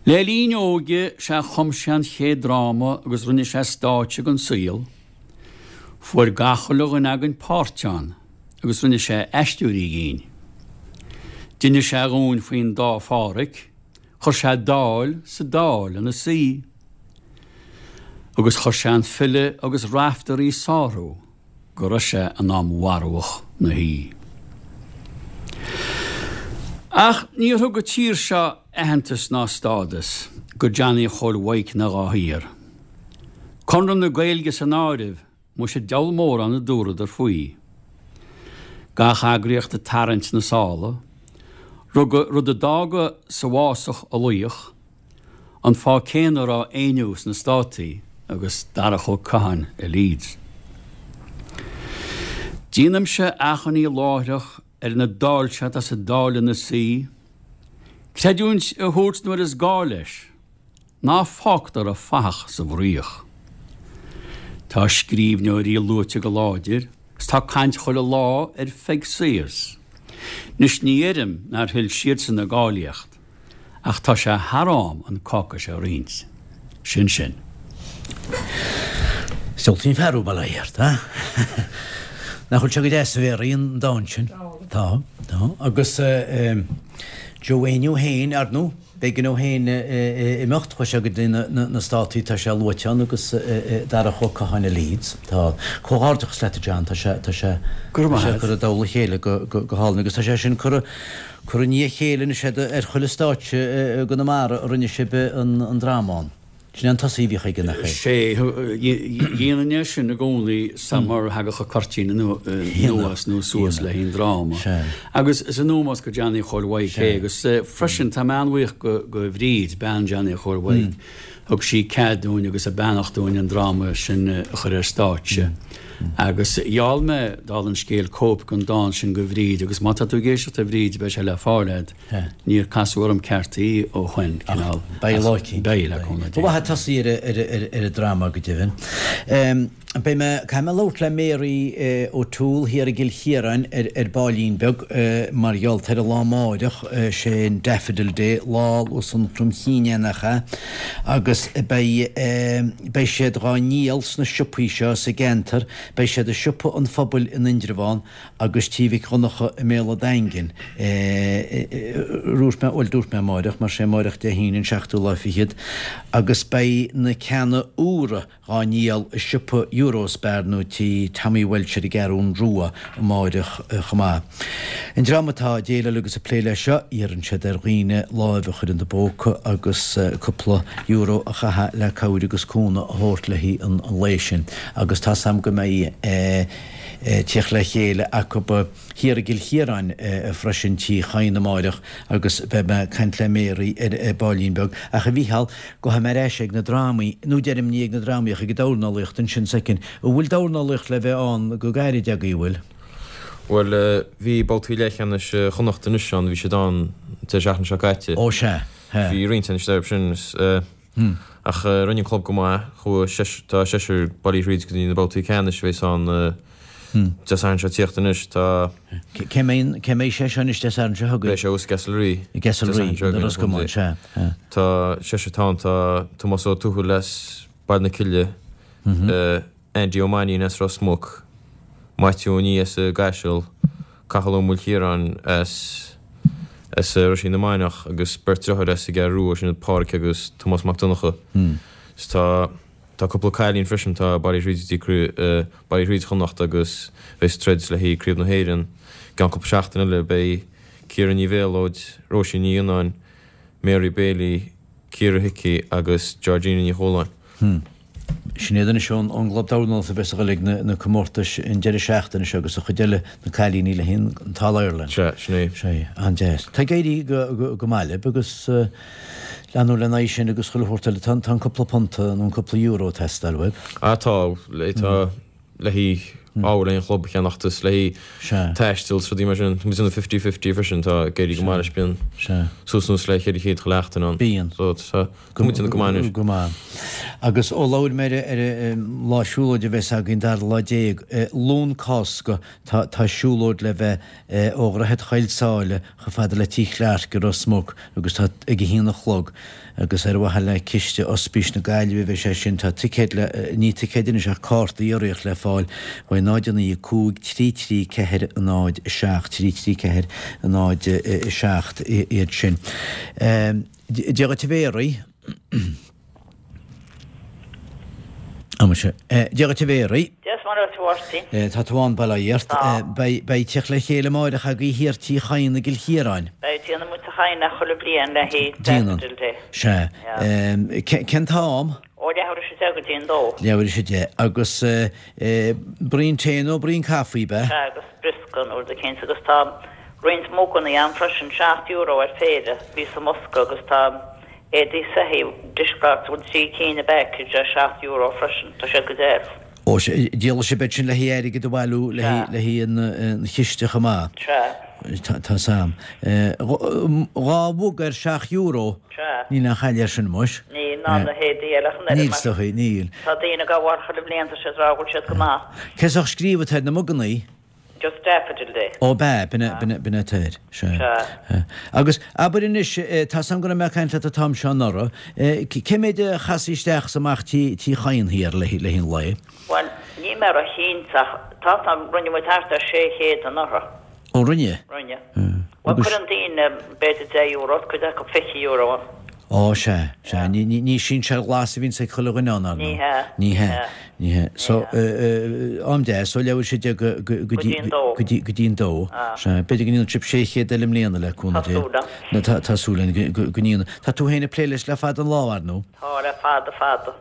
[SPEAKER 4] Le linn a óige sea chum sé an chéad dráma agus rinne sé stáitse den saol. Fuair gach uile dhuine againn páirt ann agus rinne sé aisteoirí dhínn. D'inis sé dhúinn faoin dá Phádhraic, chuir sé Dáil sa Dáil ina suí. Agus chuir sé an file agus Raiftearaí sárú. go raibh sé in am mharbhadh 'na shuí. Ach níor thug an tír seo aitheantas ná stádas go Johnny Chóil Mhaidhc ná dhá thiar. Conradh na Gaeilge san áireamh, muise deabhal mórán a dúradar faoi. Gach eagraíocht ag tarraingt na sála, rud a d'fhága sa bhfásach a laoch, An fáth céanna a raibh Éinniú sna Státaí agus Darach Ó Catháin i Leeds. Déanaimse achainí láithreach ar na daill seo atá sa Dáil ina suí, creidiúint a thabhairt nuair is gá leis, ná fágtar an fathach sa bhfraoch. Tá scríbhneoirí luaite go láidir 's tá caint chuile lá ar Pheig Sayers. 'Nois ní dheirim nár thuill siadsan a gcáilíocht. Ach tá sé thar am an cáca seo a roinnt. Sin sin.
[SPEAKER 2] Seoltaí an fear ó Baile Átha Cliath, Nach bhfuil sé go deas a Mhéaraí an dán sin? Tá, tá. Agus Joe Éinniú féin, ar ndóigh, b'éigean dó féin imeacht, chuaigh sé go dtí na Státaí, tá sé luaite ann agus Darach Ó Catháin i Leeds. Tá. Comhghairdeachas leat a John, tá sé, tá sé, tá sé curtha i dtoll a chéile go hálainn agus tá sé sin curtha, Curtha i ndiaidh a chéile anois ar chuile stáitse i gConamara a rinne sibh an dráma ann. Sin é an tosaí a bhíodh aige, nach é?
[SPEAKER 4] Sé, dhéanainn é sin i gcónaí sa mar a thagadh an cuirtín anuas nó suas le haghaidh an dráma. Agus is in ómós go Johnny Chóil Mhaidhc é agus freisin tá mé an-bhuíoch go Bhríd, bean Johnny Chóil Mhaidhc, thug sí cead dúinn agus a beannacht dúinn an dráma sin a chur ar stáitse. Agus gheall mé, dála an scéil, cóip den dán sin go Bhríd agus má tá tú ag éisteacht a Bhríd beidh sé le fáil agat. Níor casadh orm ceart í ó shoin, cineál.
[SPEAKER 2] Beidh lá eicínt.
[SPEAKER 4] Beidh, le cúnamh
[SPEAKER 2] Dé. Ba mhaith tosaí ar an dráma go deimhin. Beidh mé, caithfidh mé labhairt le Mary O'Toole thiar i gCill Chiaráin ar baillín beag mar gheall ar an lá amáireach, sé an Daffodil Day, lá Lus an Chromchinn é nach ea? Agus beidh, beidh siad dhá ndíol sna siopaí seo sa gceantar, beidh siad i Siopa an Phobail in Indreabhán agus Tí Mhic Dhonncha i mBéal a' Daingin. Dúirt mé, bhuel dúirt mé amáireach, mar sé amáireach Dé hAoine an seachtú lá fichead, agus beidh na ceanna úra, dhá ndíol i siopa Eurospar nó tí Tommy Walsh ar an gCeathrún Rua amáireach chomh maith. An dream atá ag déileáil agus ag plé leis seo, iarrann siad ar dhaoine láimh a chur ina bpóca agus cúpla euro a chaitheamh le cabhair agus cúnamh a thabhairt le haghaidh an lae sin agus tá's a'm go mbeidh tíocht le chéile acu thiar i gCill Chiaráin freisin Tí Chadhain amáireach agus beidh mé ag caint le Mary ar baillín beag. Ach a Mhícheál, gabhfaidh mé ar ais ag na drámaí, nó deirim ní ag na drámaí ach ag an dornálaíocht ansin soicind. An bhfuil dornálaíocht le bheith ann go gairid agaibh, an bhfuil?
[SPEAKER 5] Bhuel, bhí babhtaí leathcheannais Chonnacht anois ann, bhí siad ann an deireadh seachtaine seo caite.
[SPEAKER 2] Ó sea,
[SPEAKER 5] sea. Bhí roinnt anois dóibh sin. Ach rinne an club go maith. Chuaigh seis, tá seisear bailithe thríd go dtí na babhtaí ceannais a bheas ann Dé Sathairn seo ag tíocht anois. Tá.
[SPEAKER 2] Cé mbeidh, cé mbeidh sé seo anois Dé Sathairn seo chugainn?
[SPEAKER 5] Beidh sé thuas i gCastlerea.
[SPEAKER 2] I gCastlerea, i Ros Comáin, sea.
[SPEAKER 5] Tá seisear atá ann, tá Tomás Ó Tuathail as Baile na Cille, Andy Ó Mainnín as Ros Muc, Maitiú Ó Nia as an gCaiseal, Cathal Ó Maoilchiaráin as as Roisín na Mainiach agus beirt deartháir as an gCeathrú Rua, sin iad Pádhraic agus Tomás Mac Donncha. Is tá. Tá cúpla cailín freisin, tá Baile Ghríde dtí Baile Ghríde Chonnacht agus bheidh ag troid le haghaidh Craobh na hÉireann i gceann cúpla seachtain eile. Beidh Ciara Ní Mhéalóid, Róisín Ní Fhionnáin, Mary Bailey, Ciara Hickey agus Georgina Ní Chualáin.
[SPEAKER 2] Sin iad anois ón gClub Dornálaíochta a bheas ag dul ag na comórtais an deireadh seachtaine seo agus an chuid eile, na cailíní le haghaidh an tAll-Ireland.
[SPEAKER 5] Sea, sin é.
[SPEAKER 2] Sea, an-deas. Tá ag éirí go maith libh agus leanúint lena aghaidh sin agus chuile shórt eile. Tá an cúpla punt nó an cúpla euro ag teastáil uaibh.
[SPEAKER 5] Ah tá, tá le haghaidh ábhair le haghaidh an chlub a cheannacht is le haghaidh taistil is rudaí mar sin. Tá muid ag déanamh fifty fifty freisin, tá ag éirí go maith leis, bíonn suas anuas le 400 chuile sheachtain ann.
[SPEAKER 2] Bíonn.
[SPEAKER 5] So tá muid ag déanamh go maith anois.
[SPEAKER 2] Go maith. Agus ó labhair mé ar an lá siúlóide a bheas againn, dara lá déag, Luan Cásca, tá tá siúlóid le bheith ó Dhroichead Choill Sáile chomh fada le Tigh Chlarke i Ros Muc agus tá ag a haon a chlog agus ar mhaithe le Ciste Ospís na Gaillimhe a bheidh sé sin. Tá ticéid le, ní ticéid anois ach cártaí urraíocht le fáil uaidh 0 9 5 3 3 4 0 7 3 3 4 0 7 iad sin. Dia dhuit a Mhéaraí. Muise. Dia dhuit a Mhéaraí.
[SPEAKER 7] Dia is Muire dhuit a Mháirtín.
[SPEAKER 2] Tá tú ann, bail ó Dhia ort.
[SPEAKER 7] Tá.
[SPEAKER 2] Beidh teacht le chéile amáireach agaibh thiar Tí Chadhain i gCill Chiaráin.
[SPEAKER 7] Beidh, déanann muid Tigh Chadhain é chuile bhliain le haghaidh Daffodil Day.
[SPEAKER 2] Sea. Cén t-am?
[SPEAKER 7] Ó leathuair is a deich go dtí an dó.
[SPEAKER 2] Leathuair is a deich. Agus braon tae nó braon caife, ab ea?
[SPEAKER 7] Sea, agus briosca nó rud eicínt. Agus tá roinnt mugannaí ann freisin, €7 ar phéire, bhí sa mbosca agus tá Éadaí soithí, dishcloths, bhfuil 3 cinn i bpackage ar €7 freisin, tá siad go deas.
[SPEAKER 2] Ó, sea, díolfaidh sibh iad sin le haghaidh airgead a bhailiú le haghaidh an chiste chomh maith.
[SPEAKER 7] Sea.
[SPEAKER 2] Tá 's a'm. Dhá mhuga ar €7.
[SPEAKER 7] Sea.
[SPEAKER 2] Níl aon chailleadh air sin, muis.
[SPEAKER 7] Níl, ná na héadaí eile ach an oiread.
[SPEAKER 2] Níl, is dóigh, níl.
[SPEAKER 7] Tá daoine ag gabháil chuile bhliain, tá siad ag rá go bhfuil siad go maith.
[SPEAKER 2] Cén sórt scríobh atá ar na mugannaí?
[SPEAKER 7] Just Daffodil Day.
[SPEAKER 2] Ó b'ea, b'in é, b'in é, b'in é atá air. Sea.
[SPEAKER 7] Sea.
[SPEAKER 2] Agus abair anois, tá's a'm go raibh mé ag caint leat an t-am seo anuraidh, cé méid a chasfaidh isteach is amach Tí Chadhain thiar le haghaidh an lae?
[SPEAKER 7] Bhuel, níl mé ró-chinnte ach tá 's a'm, rinne muid thart ar 600 anuraidh.
[SPEAKER 2] Ó rinne?
[SPEAKER 7] Rinne. Bhuel, cuireann daoine b'fhéidir €10, cuid acu €20.
[SPEAKER 2] Ó, sea, sea. Ní sinsear glas a bhíonns ag chuile dhuine ann, ar ndóigh.
[SPEAKER 7] Ní hea.
[SPEAKER 2] Ní hea. Ní hea. So, am deas, ó leathuair is a deich go, go, go dtí, go dtí, go dtí an dó. Sea. B'fhéidir go ndéanfaidh sibh 600 eile i mbliana, le cúnamh
[SPEAKER 7] Tá
[SPEAKER 2] Dé.
[SPEAKER 7] súil
[SPEAKER 2] agam. Tá, tá súil againn go, go ndéanfaidh. Tá tú féin ag plé leis le fada an lá, ar ndóigh.
[SPEAKER 7] Tá, le fada, fada.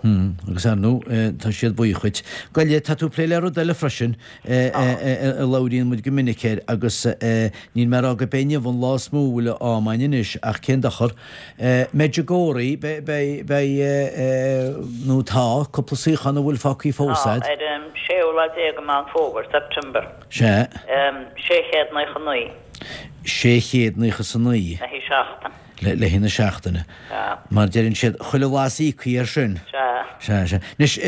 [SPEAKER 2] Agus ar ndóigh, tá siad buíoch dhuit. Gabh i leith, tá tú ag plé le rud eile freisin. a labhraíonn muid go minic air agus níl mé ag rá gurb é inniu an lá is mó a bhfuil am againn anois ach cén dochar. Medjugorje, beidh, beidh, nó tá, cúpla suíochán a bhfuil fágtha fós
[SPEAKER 7] Tá, ar an séú lá déag de Meán Fómhair, September.
[SPEAKER 2] Sea.
[SPEAKER 7] 699.
[SPEAKER 2] 699.
[SPEAKER 7] Le haghaidh seachtain.
[SPEAKER 2] Le haghaidh na seachtaine.
[SPEAKER 7] Sea.
[SPEAKER 2] Mar deireann siad, chuile lá is íocfaí air sin.
[SPEAKER 7] Sea.
[SPEAKER 2] Sea, sea. Anois,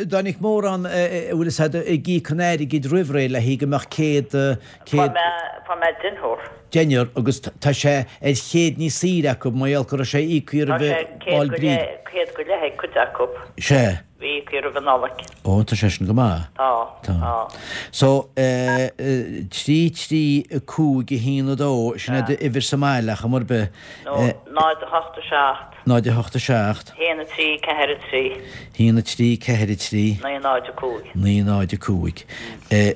[SPEAKER 2] dá mbeadh mórán, a bhfuil fhios a'd, ag íoc an airgid roimh ré le haghaidh go mbeadh céad,
[SPEAKER 7] céad. Fuair mé, fuair mé deichniúr.
[SPEAKER 2] Deichniúr, agus tá sé ar chéad níos saoire acu, mar gheall go raibh sé íoctha
[SPEAKER 7] roimhe Tá sé céad go leith, céad go leith ag cuid acu.
[SPEAKER 2] Sea.
[SPEAKER 7] Bhí íoctha roimh an Nollaig.
[SPEAKER 2] Ó, tá sé sin go maith.
[SPEAKER 7] Tá, tá.
[SPEAKER 2] So, 3, 3, 5, 1, 2, sin é d'uimhir sa mbaile ach am ar bith.
[SPEAKER 7] No, 0, 8, 7.
[SPEAKER 2] 0, 8, 7.
[SPEAKER 7] 1, 3, 4, 3.
[SPEAKER 2] 1, 3, 4, 3.
[SPEAKER 7] 9, 0, 5.
[SPEAKER 2] 9, 0, 5.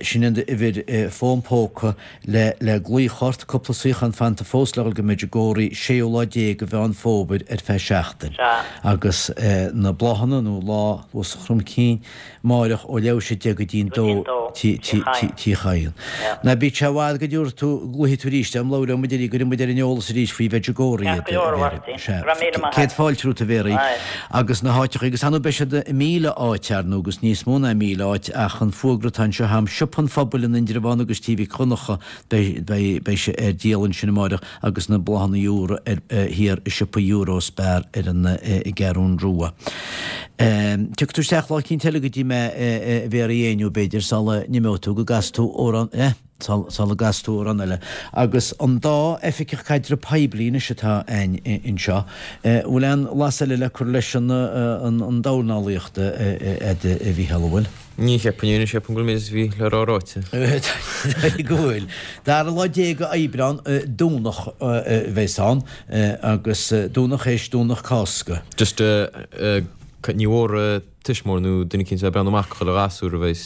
[SPEAKER 2] Sin an uimhir fón póca le le glaoch ort, cúpla suíochán fanta fós le dhul go Medjugorje, séú lá déag de Mheán Fómhair ar feadh seachtain.
[SPEAKER 7] Sea.
[SPEAKER 2] Agus na bláthanna nó lá Luas an Chromchinn amáireach ó leathuair théis a deich go dtí an dó Tí Chadhain. Ná bíodh sé i bhfad go dtabharfaidh tú, glaofaidh tú arís orm, labhróidh muid arís, cuirfidh muid ar an eolas arís faoi Mhedjugorje iad,
[SPEAKER 7] Ceart go leor, a Mháirtín.
[SPEAKER 2] Sea.
[SPEAKER 7] Go raibh míle maith
[SPEAKER 2] Céad
[SPEAKER 7] agat.
[SPEAKER 2] fáilte romhat a Mhéaraí.
[SPEAKER 7] Aye.
[SPEAKER 2] Agus na háiteacha, agus ar ndóigh beidh siad i 1,000 áit, ar ndóigh, agus níos mó ná 1,000 áit, ach an fuagra atá anseo a'm, Siopa an Phobail in Indreabhán agus Tí Mhic Dhonncha, beidh, beidh, beidh sé ar díol ansin amáireach agus na bláthanna úra ar, thiar i siopa Eurospar ar an gCeathrún Rua. Tiocfaidh tú isteach lá eicínt eile go dtí mé, a Mhéaraí Éinniú, b'fhéidir, sula n-imeoidh tú, go gcasfaidh tú amhrán, eh? sula gcasfaidh tú amhrán eile. Agus an dá oifigeach caidreamh poiblí anois atá againn anseo, bhfuil aon bhlas eile le cur leis an dornálaíocht a Mhícheál, an bhfuil?
[SPEAKER 5] Ní cheapfainn anois, cheapfainn go bhfuil an méid is a bhí le rá ráite.
[SPEAKER 2] Go bhfuil. Dara lá déag Aibreán, Domhnach a bheas ann, agus Domhnach théis Domhnach Cásca.
[SPEAKER 5] Just. Ní mhór tuismitheoir nó duine eicínt a bheith ag breathnú amach chuile ghasúr a bheas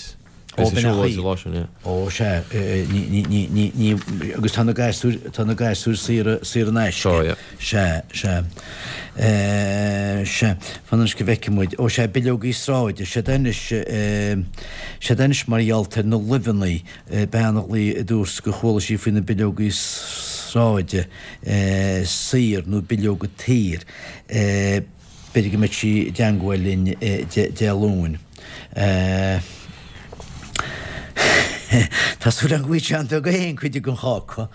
[SPEAKER 2] Ó,
[SPEAKER 5] ag
[SPEAKER 2] b'in é
[SPEAKER 5] siúlóid an lá sin, yeah.
[SPEAKER 2] Ó, sea, ní, ní, ní, ní, ní, agus tá na gasúir, tá na gasúir saor, saor in aisce.
[SPEAKER 5] Tá, yeah.
[SPEAKER 2] Sea, sea. Sea, fan anois go bhfeicfidh muid. Ó, sea, bileogaí sráide, siad anois, siad anois mar gheall ar na luibheanna, bean a ghlaoigh a dúirt gur chuala sí faoi na bileogaí sráide saor nó bileoga tsaor. B'fhéidir go mbeidh sí i dteangmháil linn Dé Luain. Tá súil agam go bhfaighidh John Beag é féin cuid den cháca.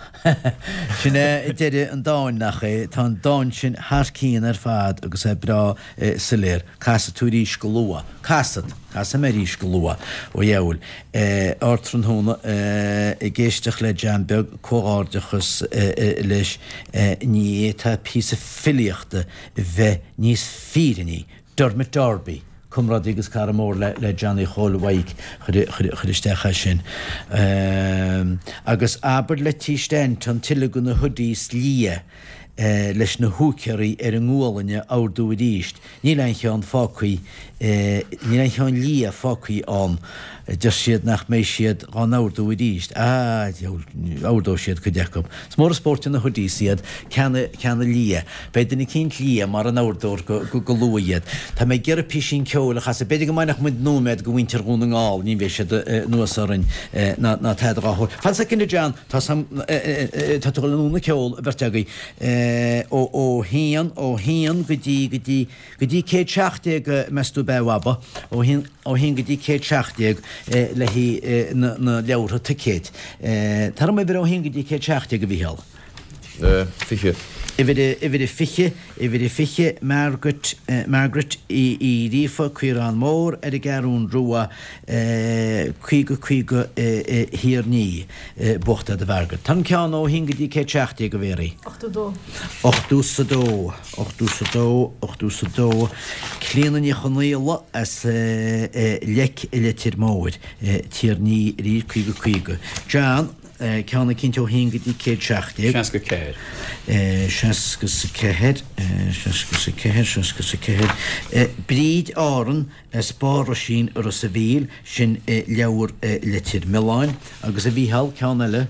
[SPEAKER 2] Sin é deireadh an dáin, nach é? Tá an dán sin thar cionn ar fad agus é breá soiléir. Casfaidh tú arís go luath. Casfad. Casfaidh mé arís go luath. Ó dheabhail. Ardtráthnóna ag éisteacht le John Beag, comhghairdeachas leis. Ní fhéadfá píosa filíochta bheith níos fírinní. Dermot Darby, comrádaí agus cara mór le Johnny Chóil Mhaidhc, chuir isteach é sin. Agus abair le T. Stanton tuilleadh de na hoodies liath leis na húicéaraí ar an ngualainn a ordú arís. Níl aon cheann fágtha, níl aon cheann liath fágtha ann. Deir siad nach mbeidh siad dhá n-ordú arís. Ah, diabhal, ordóidh siad cuid acu. Is mór an spórt de na hoodies iad, ceanna, ceanna liath. Beidh duine eicínt liath mar a n-ordófar go, go, go luath iad. Tá mé ag iarraidh písín ceoil a chasadh. B'fhéidir go mbainfeadh muid nóiméad go mhuintir Dhún na nGall, ní bheidh siad anuas orainn ná, ná tada dhá shórt. Fan soicind a John, tá sam, tá tú ag dul anonn ag ceol, an bheirt agaibh. Ó, ó haon, ó haon go dtí, go dtí, Go dtí 117, meas tú ab ea, a Bhaba? Ó haon, ó haon go dtí 117 le haghaidh na, na leabhartha ticéid. Tar orm uimhir ó haon go dtí 117, a Mhícheál.
[SPEAKER 5] 20.
[SPEAKER 2] Uimhir a, uimhir a 20, uimhir a 20, Margaret, Margaret Uí, Uí Ghríofa, Caorán Mór ar an gCeathrún Rua, 50 50 Thír an Fhia. Buachta do Mhargaret. Tá an ceann ó haon go dtí 117, a Mhéaraí.
[SPEAKER 6] 82.
[SPEAKER 2] 82. 82, 82, Clíona Ní Chonaola as Leic i Leitir Móir, Tír an Fhia arís, 50, 50. John, ceann eicínt ó haon go dtí 117.
[SPEAKER 4] 64.
[SPEAKER 2] 64, 64, 64. Bríd Árann as Barr Oisín i Ros a' Mhíl, sin leabhar Leitir Mealláin. Agus a Mhícheál, ceann eile.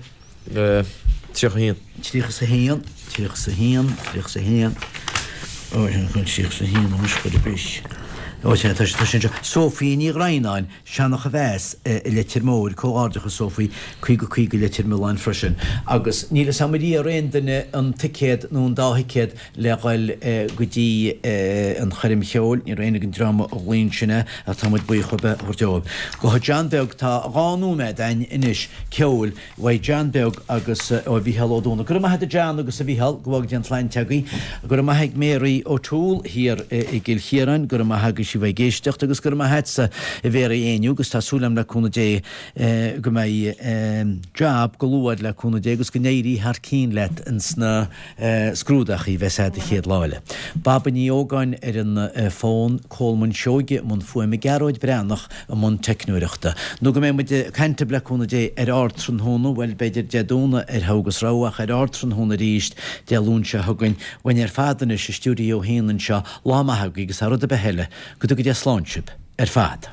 [SPEAKER 5] 31.
[SPEAKER 2] 31, 31, 31, Ó, sin chun 31 anois, chuir a bris. Ó, sea, tá sé anseo. Sophie Ní Dhroighneáin, Seanach a Mheas i Leitir Móir, Comhghairdeachas Sophie, 50 50 Leitir Mealláin freisin. Agus níl fhios a'm ar iarr aon duine an ticéad nó an dá thicéad le dhul go dtí an choirm cheoil, ní raibh éinne den dream a ghlaoigh ansin é ach tá muid buíoch a bheith a thabhairt dóibh. Go John Beag, tá dhá nóiméad a'inn anois ceoil. Uaidh John Beag agus ó Mhícheál Ó Dónaill. Go raibh maith agat a John agus a Mhícheál, go bhfága Dia an tsláinte agaibh. Go raibh maith ag Mary O'Toole thiar i gCill Chiaráin, go raibh maith agaibh sibh ag éisteacht agus go raibh maith agatsa a Mhéaraí Éinniú agus tá súil agam le cúnamh Dé go mbeidh jab go luath le cúnamh Dé agus go n-éirí thar cionn leat ins na scrúdachaí a bheas a'd an chéad lá eile. Baba Ní Ógáin ar an bhfón, Colman Seoige i mbun fuaime, Gearóid Breathnach i mbun teicneoireachta. Nó go mbeidh muid ag caint libh le cúnamh Dé ar Ardtráthnóna, bhuel b'fhéidir Dé Domhnaigh ar Thogha agus Rogha ach ar Ardtráthnóna arís Dé Luain seo chugainn. Uainn ar fad anois i stiúideo a haon anseo, lá maith agaibh agus thar rud ar bith eile, go dtuga Dia slán sibh ar fad.